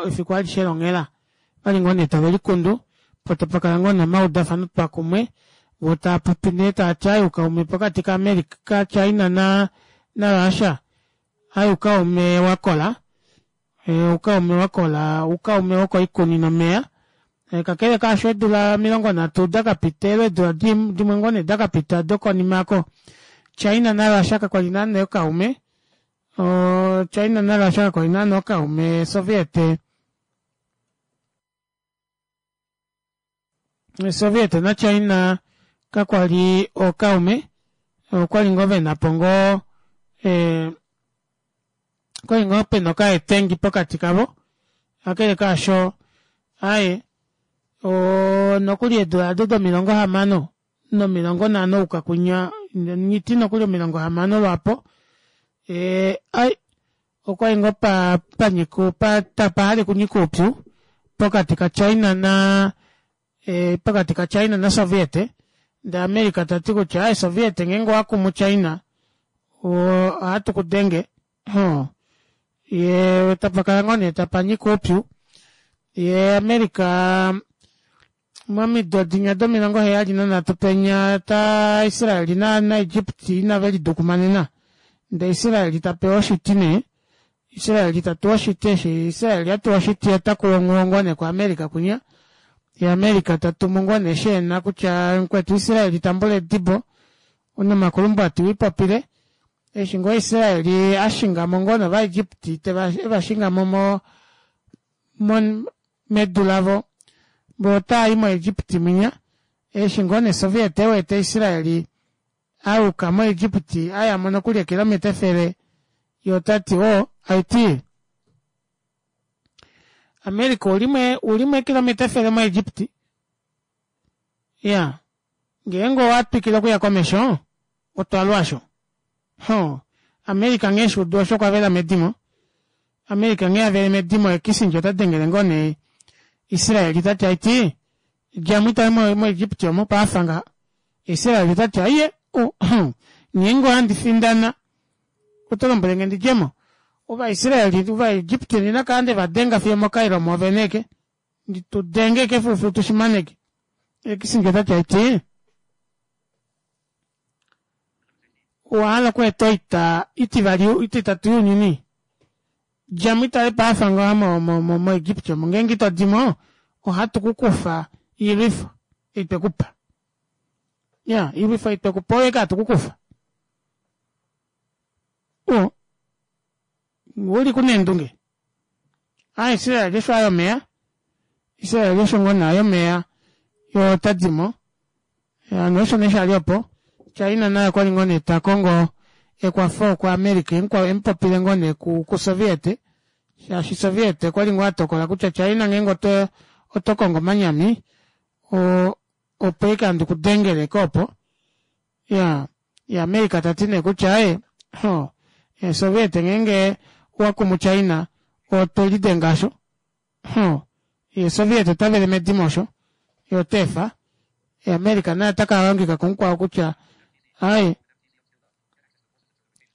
efiku alishe longhela vali ngoo nee tave likundu po tapakala ngoo nee omaudafano twa kumwe voo taapopi nee taati aaye oukaume pokati ka America ka China na na Russia aaye oukaume wakola oukaume wakola oukaume wokoikuni nomeya kakele kaasho eedula 30 dakapita ile eedula dimwe ngoo nee dakapita dokonima aako China na Russia kakwali naana ookaume China na Russia kakwali naana ookaume Soviet Soviet naChina kakwa li ookaume, okwali ngoo vena po ngoo eh, okwali ngoo pena okaetengi pokati kavo, kakele kaasho aye nokuli eedula ado domilongo hamano nomilongo nhano ouka kwinya nghiti nokuli 60 lwaapo eh, ai okwali ngoo pa panyika pa tapahale kunyika oupyu pokati ka China na eh, pokati ka China na Soviet ndee America tati kutya ai Soviet ngeenge owakumu China ohatu kudenge hoo ye tapakala ngoo nee tapanyika oupyu ye America Momido dinya domilongo heyali nanhatu penya ta Israel na naEgypt inave lidukumanena. Ndee Israel ta pewa oshiti nee. Israel ta tuwa oshiti eshi Israel a tuwa oshiti ota kuwa onghuwo ngoo nee kuAmerica kwinya. Ye America ta tumu ngoo nee sheena kutya mukwetu Israel tambula edibo nomakulumbwati wiipopile. Eshi ngoo Israel a shinga mo ngoo novaEgypt teva eva shinga mo mo medu lavo vo otaa i moEgipti mwinya. Eshi ngoo nee Soviet e wete Israel a yuka moEgipti a ya mo nokuli eekilometa 100, ye ota ti, O, aiti, America ou li ou li mo eekilometa 100 moEgipti. Iya. Ngeenge owa twikile okuya komesho, otwa lwa osho. Huh. America nghee eshi udu osho okwa vela medimo. America nghee a vele medimo ye Kissinger ota dengele ngoo nee Israel ta ti aiti dja mo itale mo, moEgypti omo paafa ngaha. Israel ota ti aiye, uh, huh. Ngeenge ohandi findana oto lombwele nge ndi dje mo. Ovaisrael, Ovaegypti ondina kala nde va denga fiyo moCairo mwoovene ke. Ndi tu denge ke filufilu tu shi maneke. Ye Kissinger ota ti aiti owa hala okweeta oita itivali ititatu younyuni? Dja mo itale paafa ngaha mo, mo, mo, moEgipti omo. Ngeenge ito di mo, ohatu ku kufa oilwifo ei twe ku pa. Ya, oilwifo ei twe ku pa oyo ashike hatu ku kufa. O, u li ku neendunge. A Israel osho a yomeya. Israel osho ngoo nee a yomeya yo ota di mo. Hano osho nee shali opo. China naye okwali ngoo nee ta kongo ekwafo ku America emupopile ngoo nee ku, ku Soviet. Shaashi Soviet okwali ngoo a tokola kutya China ngeenge oto, oto kongo omanyami, o, opo eke handi ku dengele ko opo. Ya, ye America ta ti nee kutya aye, ho, Soviet ngeenge owa kumu China, otwe lidenga asho. Huh. Ye Soviet ota vele medimo osho. Ye ota efa. Ye America naye ota ka hangika kumukwao kutya, aye.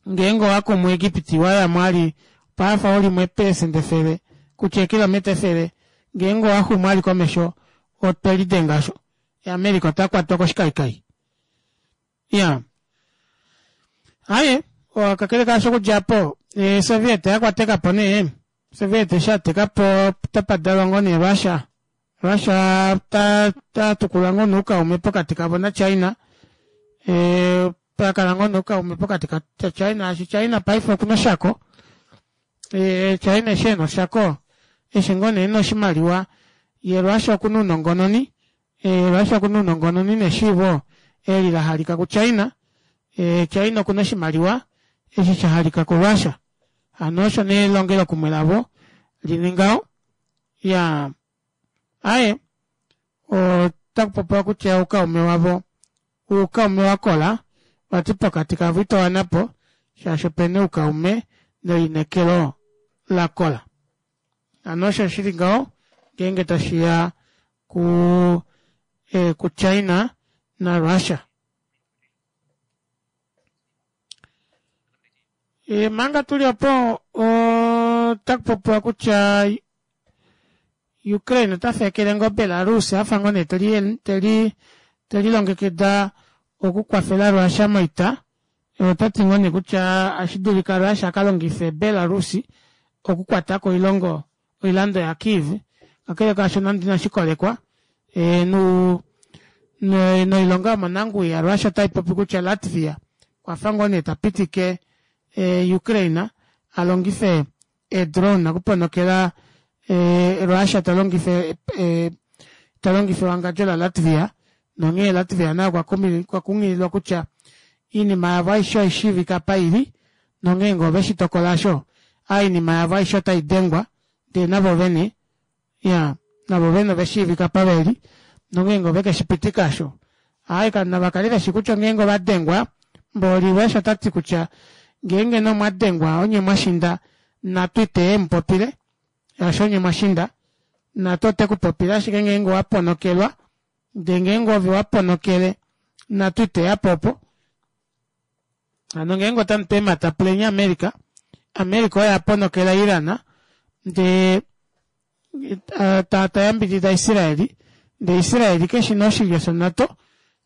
Ngeenge owa kumu Egipti wa ya mo ali pafa u li mo eepelesenda 100 kutya eekilometa 100 ngeenge owa xumu ali komesho otwe lidenga osho. America ota kwatwa koshikaikai. Iya. Aaye, kakele kaasho okudja opo Soviet oya kwateka po nee, Soviet eshi ateka po tapa dalwa ngoo nee Russia. Russia ta ta tukula ngoo nee oukaume pokati kavo naChina. Pakala ngoo nee oukaume pokati kaChina shaashi China paife okuna oshako. China eshi ena oshako eshi ngoo nee ena oshimaliwa yee Russia okuna ounongononi Russia okuna ounongononi neshiivo eli lahalika kuChina. China okuna oshimaliwa eshi shahalika kuRussia. Hano osho nee elongelokumwe lavo lili ngaho. Iyaa aaye otakupopiwa kutya oukaume wavo oukaume wakola vati pokati kavo itowanapo shaashi opena oukaume nelineekelo lakola. Hano osho shili ngaho ngeenge tashiya ku kuChina naRussia. Manga tuli opo otakupopiwa kutya Ukraine ota feekele ngoo Belarus afa ngoo nee teli telilongekida okukwafela Russia moita. Otati ngoo nee kutya otashi dulika Russia akalongife Belarus okukwatako oilongo oilando ya Kyiv. Kakele kaasho nande inashikolekwa noilonga yomonanguwi ya Russia otaipopi kutya Latvia okwafa ngoo nee tapitike Ukraine alongife eedrone okuponokela Russia talongifa talongifa ewangadjo la Latvia nonghee Latvia naye okwa kunghililwa kutya oinima yavo aishe oishiivika apa ili nonghee ngee oveshi tokola aasho oinima yavo aishe otaidengwa ndee navo vene iya navo vene oveshiivika apa veli nongeenge ovekeshipitika aasho aaye navakale veshi kutya ngeenge ovadengwa mboli Russia otati kutya ngeenge nee omwadengwa onye mwashinda NATO ite emupopile shaashi onye mwashinda NATO otekupopile ashike ngeenge owaponokelwa ndee ngeenge ove waponokele NATO iteyapo opo. Hano ngeenge otamutu eemhata puleni America, America oye aponokela Iran ndee tayambidida Israel ndee Israel keshi nee oshilyo shoNato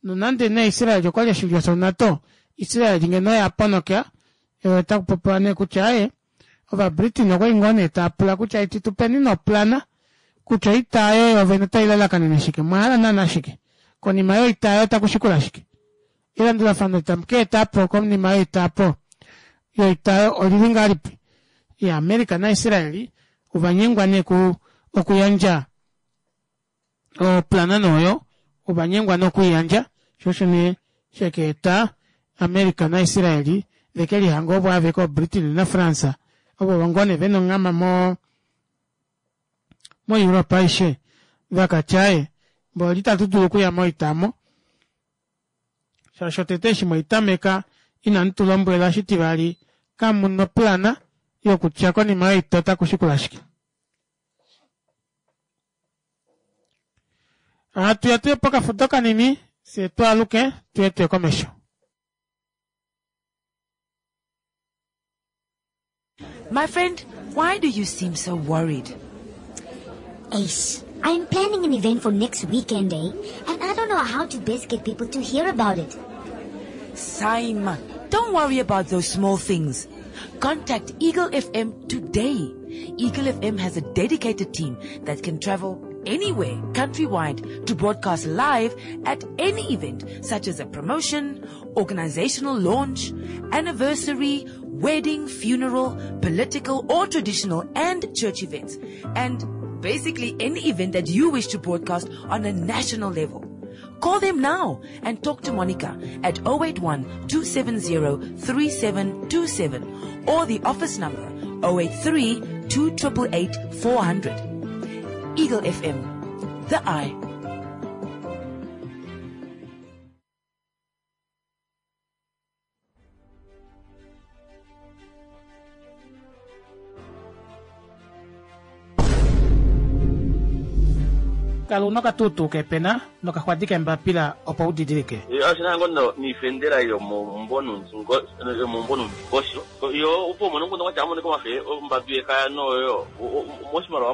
nonande nee Israel okwali oshilyo shoNato Israel ngeno oye aponokela otakupopiwa nee kutya aaye ovaBritain okwali ngoo nee taapula kutya iti tupeni nee oplana kutya oita aayo yoovene otailalakanene shike omwahala naana shike konima yoita aayo otakushikula shike elandulafano eli tamu kaetapo konima yoita aapo yoita aayo olili ngahelipi iya America naIsrael ovanyengwa nee okuyandja oplana nee oyo ovanyengwa nee okwiiyandja shoo osho nee shekaeta America naIsrael vekelihanga ovo aveke oBritain naFrance ovo ngoo nee vena onghama mo moEurope aishe vakatya aaye mboli itatu dulu okuya moita omo shaashi otete eshi mwaitameka inamu tu lombwela shitivali kamuna oplana yokutya konima yoita otakushikula shike. Hatuya tuye pokafudo kanini fyee twaaluke tuye tuye komesho. My friend, why do you seem so worried? Ace, I'm planning an event for next weekend, eh? And I don't know how to best get people to hear about it. Simon, don't worry about those small things. Contact Eagle FM today. Eagle FM has a dedicated team that can travel anywhere countrywide to broadcast live at any event such as a promotion, organizational launch, anniversary, wedding, funeral, political or traditional and church events. And basically any event that you wish to broadcast on a national level. Call them now and talk to Monica at 081 270 3727 or the office number 083 288 400. Eagle FM, the eye. Kala una okatuutuu keepena nokaxwadi keembapila opo u didilike. Oshi na ngoo noifendela yomomumbo noundingosho. Yo opo umone omukundu kwatya amoneka omafe ombadu yekaya noyo moshimaliwa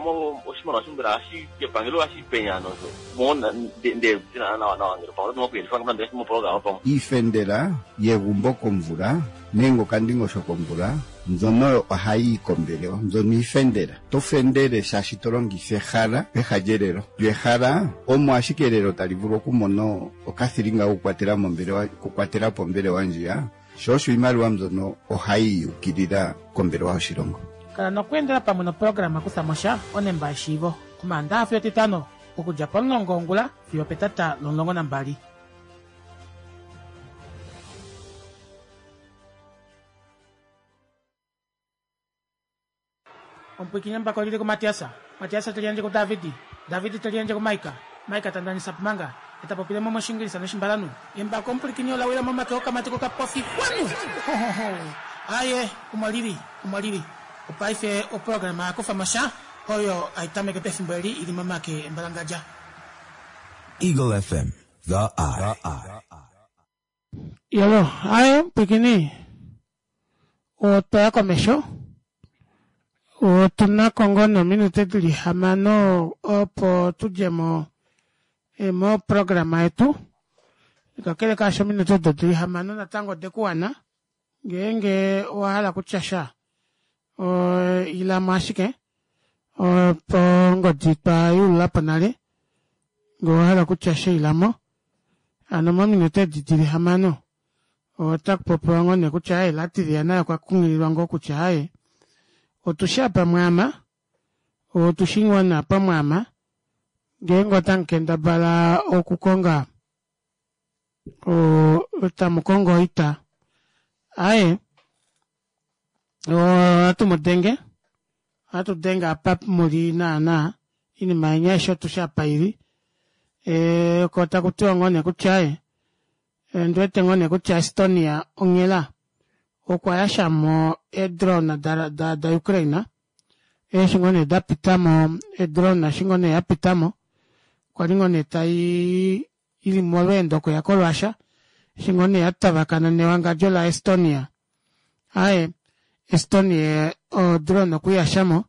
oshimaliwa mbela ohashi epangelo ohashi penya nosho mo nde nawa nawa ngele pamwe oto dulu okuyelifa moprograma pamwe. Iifendela yegumbo komvula nenge okandingosho komvula mbyono ohayi yi kombelewa mbyono iifendela. To fendele shaashi to longitha ehala peha lyelelo. Lyo ehala omo ashike elelo tali vulu okumona okathilinga kokukwatela mombelewa okukwatela po ombelewa ndjiya, sho osho iimaliwa mbyono ohayi yukilila kombelewa yoshilongo. Kala nokweendela pamwe noprograma Kutha mo sha onemba yeshiivo Omaandaxa fiyo Etitano okudja pomulongo wongula fiyo opetata lomulongo nambali. Omupwiikini embako lili kuMatias, Matias te liyandje kuDavid, David te liyandje kuMaika, Maika ta ndanisa Pumanga, e ta popile mo mOshiingilisa nOshimbalanhu. Embako omupwilikini ola wila momake okamati kokapofi. Kwanu! Ho-ho-ho! Aye, omo lili, omo lili. Opaife oprograma ya kufa mo sha, oyo hai tameke pefimbo eli i li momake embalangadja. Eagle FM, The Eye. Yolo, aye, mupwilikini, otwa ya komesho. Otu na ko ngoo nominute di li hamano opo tu dje mo eh, moprograma yetu. Kakele kaasho ominute odo di li hamano natango ode ku wana. Ngeenge owa hala kutya sha, ila mo ashike opo ongodi twa yulula po nale. Ngee owa hala kutya sha ila mo. Hano mominute edi di li hamano otaku popiwa ngoo nee kutya aye Latvia naye okwa kunghililwa ngoo kutya aye otushi apa mwaama, otushi ngoo nee apa mwaama ngeenge otamu kendabala okukonga tamu kongo oita aye ohatu mu denge ohatu denge apa muli naana inima yenya aishe otushi apa ili e, ko taku tiwa ngoo nee kutya aye ndi wete ngoo nee kutya Estonia onghela okwa yasha mo eedrone da, da, da Ukraine eshi ngoo nee da pita mo edrone eshi ngoo nee ya pita mo kwa li ngoo nee tai ili molweendo okuya koRussia eshi ngoo nee ya tavakana newangadjo laEstonia. Aye, Estonia odrone okwe i yasha mo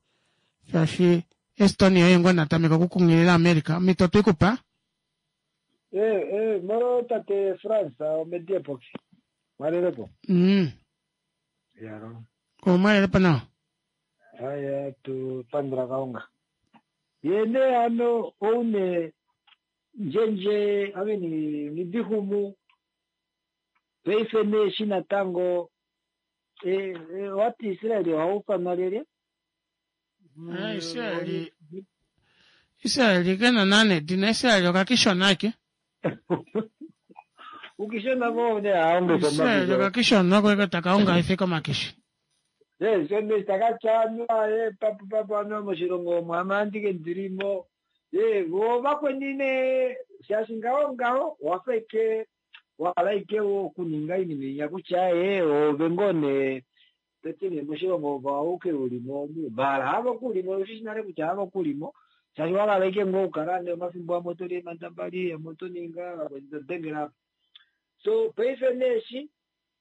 shaashi Estonia oye ngoo na tameka okukunghilila America. Omhito otwe i ku pa. Eh, eh, molo tate Frans, omedie poki. Mwalelepo. Yaro. Omwalelepo nawa. Aya, tu pandula Kalunga. Ye ne ano oune Ndjendje ame Nghidihumu paife nee eshi natango owati Israel oha ufanwa lyelye? Ah, Israel Israel ke na naana edina Israel okakishona ake. Ukishona vo ne aonge Israel okakishona ko eke taka onga ife komakishi. Yes, so ne taka tyanwa e papu papu ano moshilongo omo ame andike ndilimo Ye, vo vakweni nee, shaashi ngaho ngaho owa fa ike wa hala ike okuninga oinima inya kutya ye oove ngoo nee to ti nee moshilongo ove auke u li mo omu, maala havo ku li mo, oshi shi nale kutya havo ku li mo, shaashi wa hala ike ngoo okukala nee omafimbo amwe oto li eemandambali, amwe oto ninga, vakweni to dengele apa. So paife nee eshi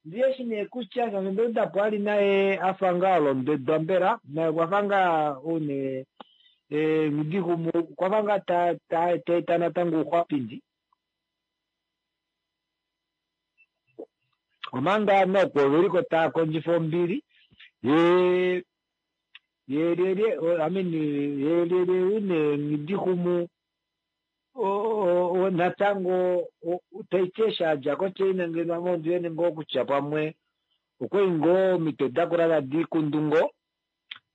ndi eshi nee kutya shaashi onda uda po a li naye a fa ngaa olondwedwa mbela, naye okwa fa ngaa ou nee Nghidihumu okwa fa ngaa ta ta ta eta natango ouxwapindi. Omanga noko ove li ko tava kondjifa ombili, ye ye lyelye I mean ye lyelye ou nee Nghidihumu Natango taiti eshi a dja koChina ngeno ame ondi wete ngoo kutya pamwe okwali ngoo omitwe dakula tadi ikundu ngoo.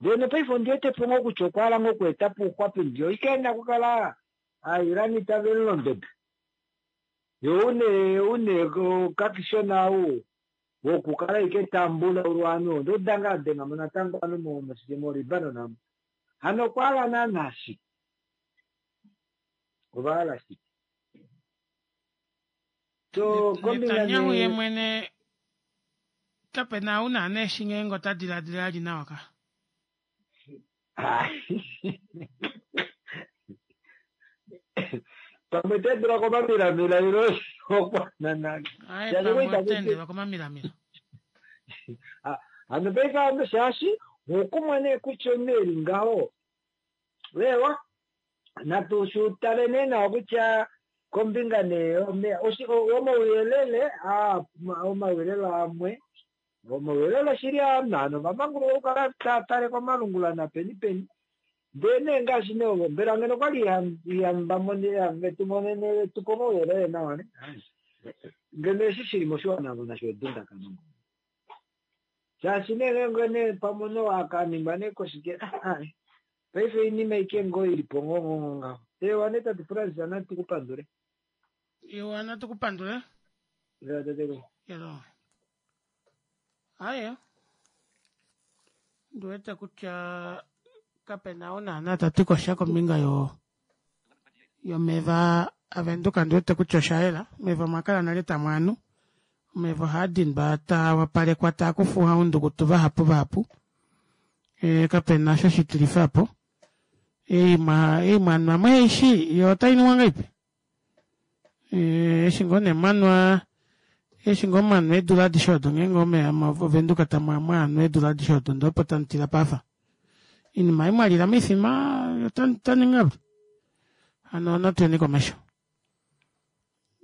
Ndele nopaife ondi wete po ngoo kutya okwa hala ngoo oku eta po ouxwapindi oike e na okukala Aairani tave mu londoda. Ye ou nee ou nee okakishona ou wokukala ashike ta mbulaulwa ovanhu onda uda ngaa a denga mo natango ovanhu moLibanon omu. Hano okwa hala naana shike? Ova hala shike? So kombinga Netanyahu ye mwene kape na ou naana eshi ngeenge ota diladila ali nawa ka. Pamwe ta endelwa komamilamila ilo okwanana. Aye, Shaashi pamwe ita ota endelwa komamilamila. Ah, hano paife hano shaashi okumwa nee kutya omunhu eli ngaho wewa natu shutale nee nawa kutya kombinga nee yomeya omauyelele aa omauyelele amwe omauyelele oshili ovanhu ovamanguluka okukala tava tale komalungula napeni peni ndee nee ngaashi nee ovo mbela ngeno okwali ihamba vetu monene tupe omauyelele nawa ne ngeno eshi shili moshiwana avo nasho edundakano shaashi nee ngeenge nee pamwe no akaningwa nee koshike paife oinima ike ngoo ili po ngoo ngaho ewa nee tate Frans natu ku pandule Ewa natu ku pandule. Ewa tate. Elo. Aye. Ndi wete kutya kape na ou naana ta ti ko sha kombinga yo yomeva aVenduka ndi wete kutya osha yela. Omeva omwa kala nale tamu anu. Omeva ohaa dindwa taa wapalekwa taa kufuwa oundukutu vahapu vahapu. E, kape na sho shitilifa po. Ei mwa ei mwanwa mweishi yo otai nuwa ngahelipi? Eh, eshi ngoo nee mwanwa eshi ngoo mwanwa eedula adishe odo ngeenge omeya ovenduka tamu mwanwa eedula adishe odo ndee opo tamu tila pafa inima ei mwalila moifima otaninga hano natu yeni komesho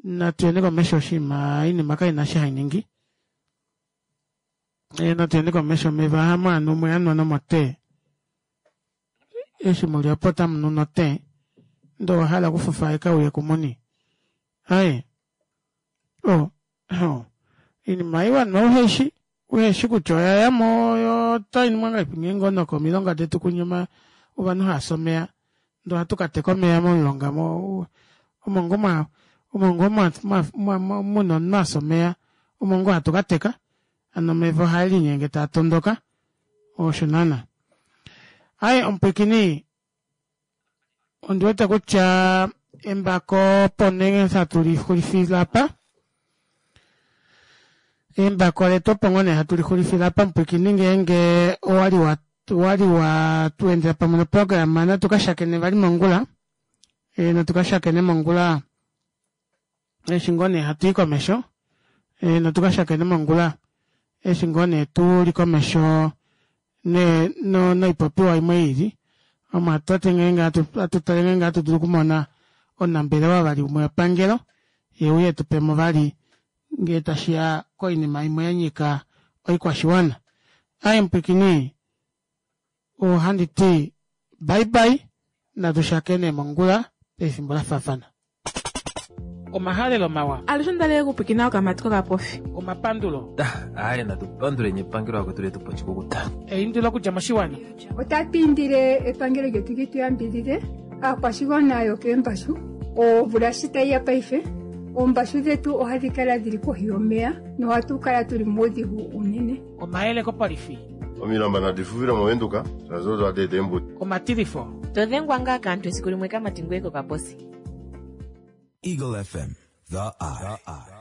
natu yeni komesho oshinima oinima kaina eshi hai ningi eh, natu yeni komesho omeva hamu anu mwe anwa nomotee Eshi mu li opo tamu nu notee, ndee owa hala okufufaeka uye kumuni. Aye. O, o, oinima ei wanwa uhe shi, uhe shi kutya oya ya mo yo otai ningwa ngahelipi ngeenge onokomilonga detu kunya oma, ovanhu hava fi omeya, ndee ohatu ka teka omeya momulonga mo, omo ngoo mwa, omo ngoo mwa, mwa, mwa, mwa, muna omunhu a fya omeya, omo ngoo hatu ka teka. Hano omeva ohae linyenge taa tondoka. Osho naana. Aye omupwikini, ondi wete kutya embako opo nee hatu li xulifile apa. Embako letu opo ngoo nee hatu li xulifile apa omupwikini ngeenge owali wa wali wa tu endela pamwe noprograma natu ka shakene vali mongula. E, natu ka shakene mongula eshi ngoo nee hatu i komesho e, notu ka shakene mongula eshi ngoo nee tu li komesho ne, no, noipopiwa imwe ili omo hatu ngeenge hatu tale ngeenge hatu dulu okumona omunambelewa vali umwe wepangelo ye uye tu pemo vali ngee tashi ya koinima imwe ya nyika oikwashiwana. Aye mupwikini ohandi ti bye bye natu shakene mongula pefimbo la faafana. Omahalelo mawa. Alushe onda li okupwikina okamati kokapofi. Omapandulo. Aye natu panduleni epangelo akwetu letu po oshikukuta. Eindilo okudja moshiwana. Otatu indile epangelo lyetu li tu yambidhidhe aakwashigwana yokeembashu. Omvula shi tayi ya paife, oombashu dhetu ohadhi kala dhili kohi yomeya nohatu kala tuli muudhigu uunene. Omayele kopolifi. Omilamba nadi fufile moVenduka, shaashi odo hadi eta eembudi. Omatilifo. To dhengwa ngaa kaantu esiku limwe kamati ngoye kokaposi. Eagle FM, the eye.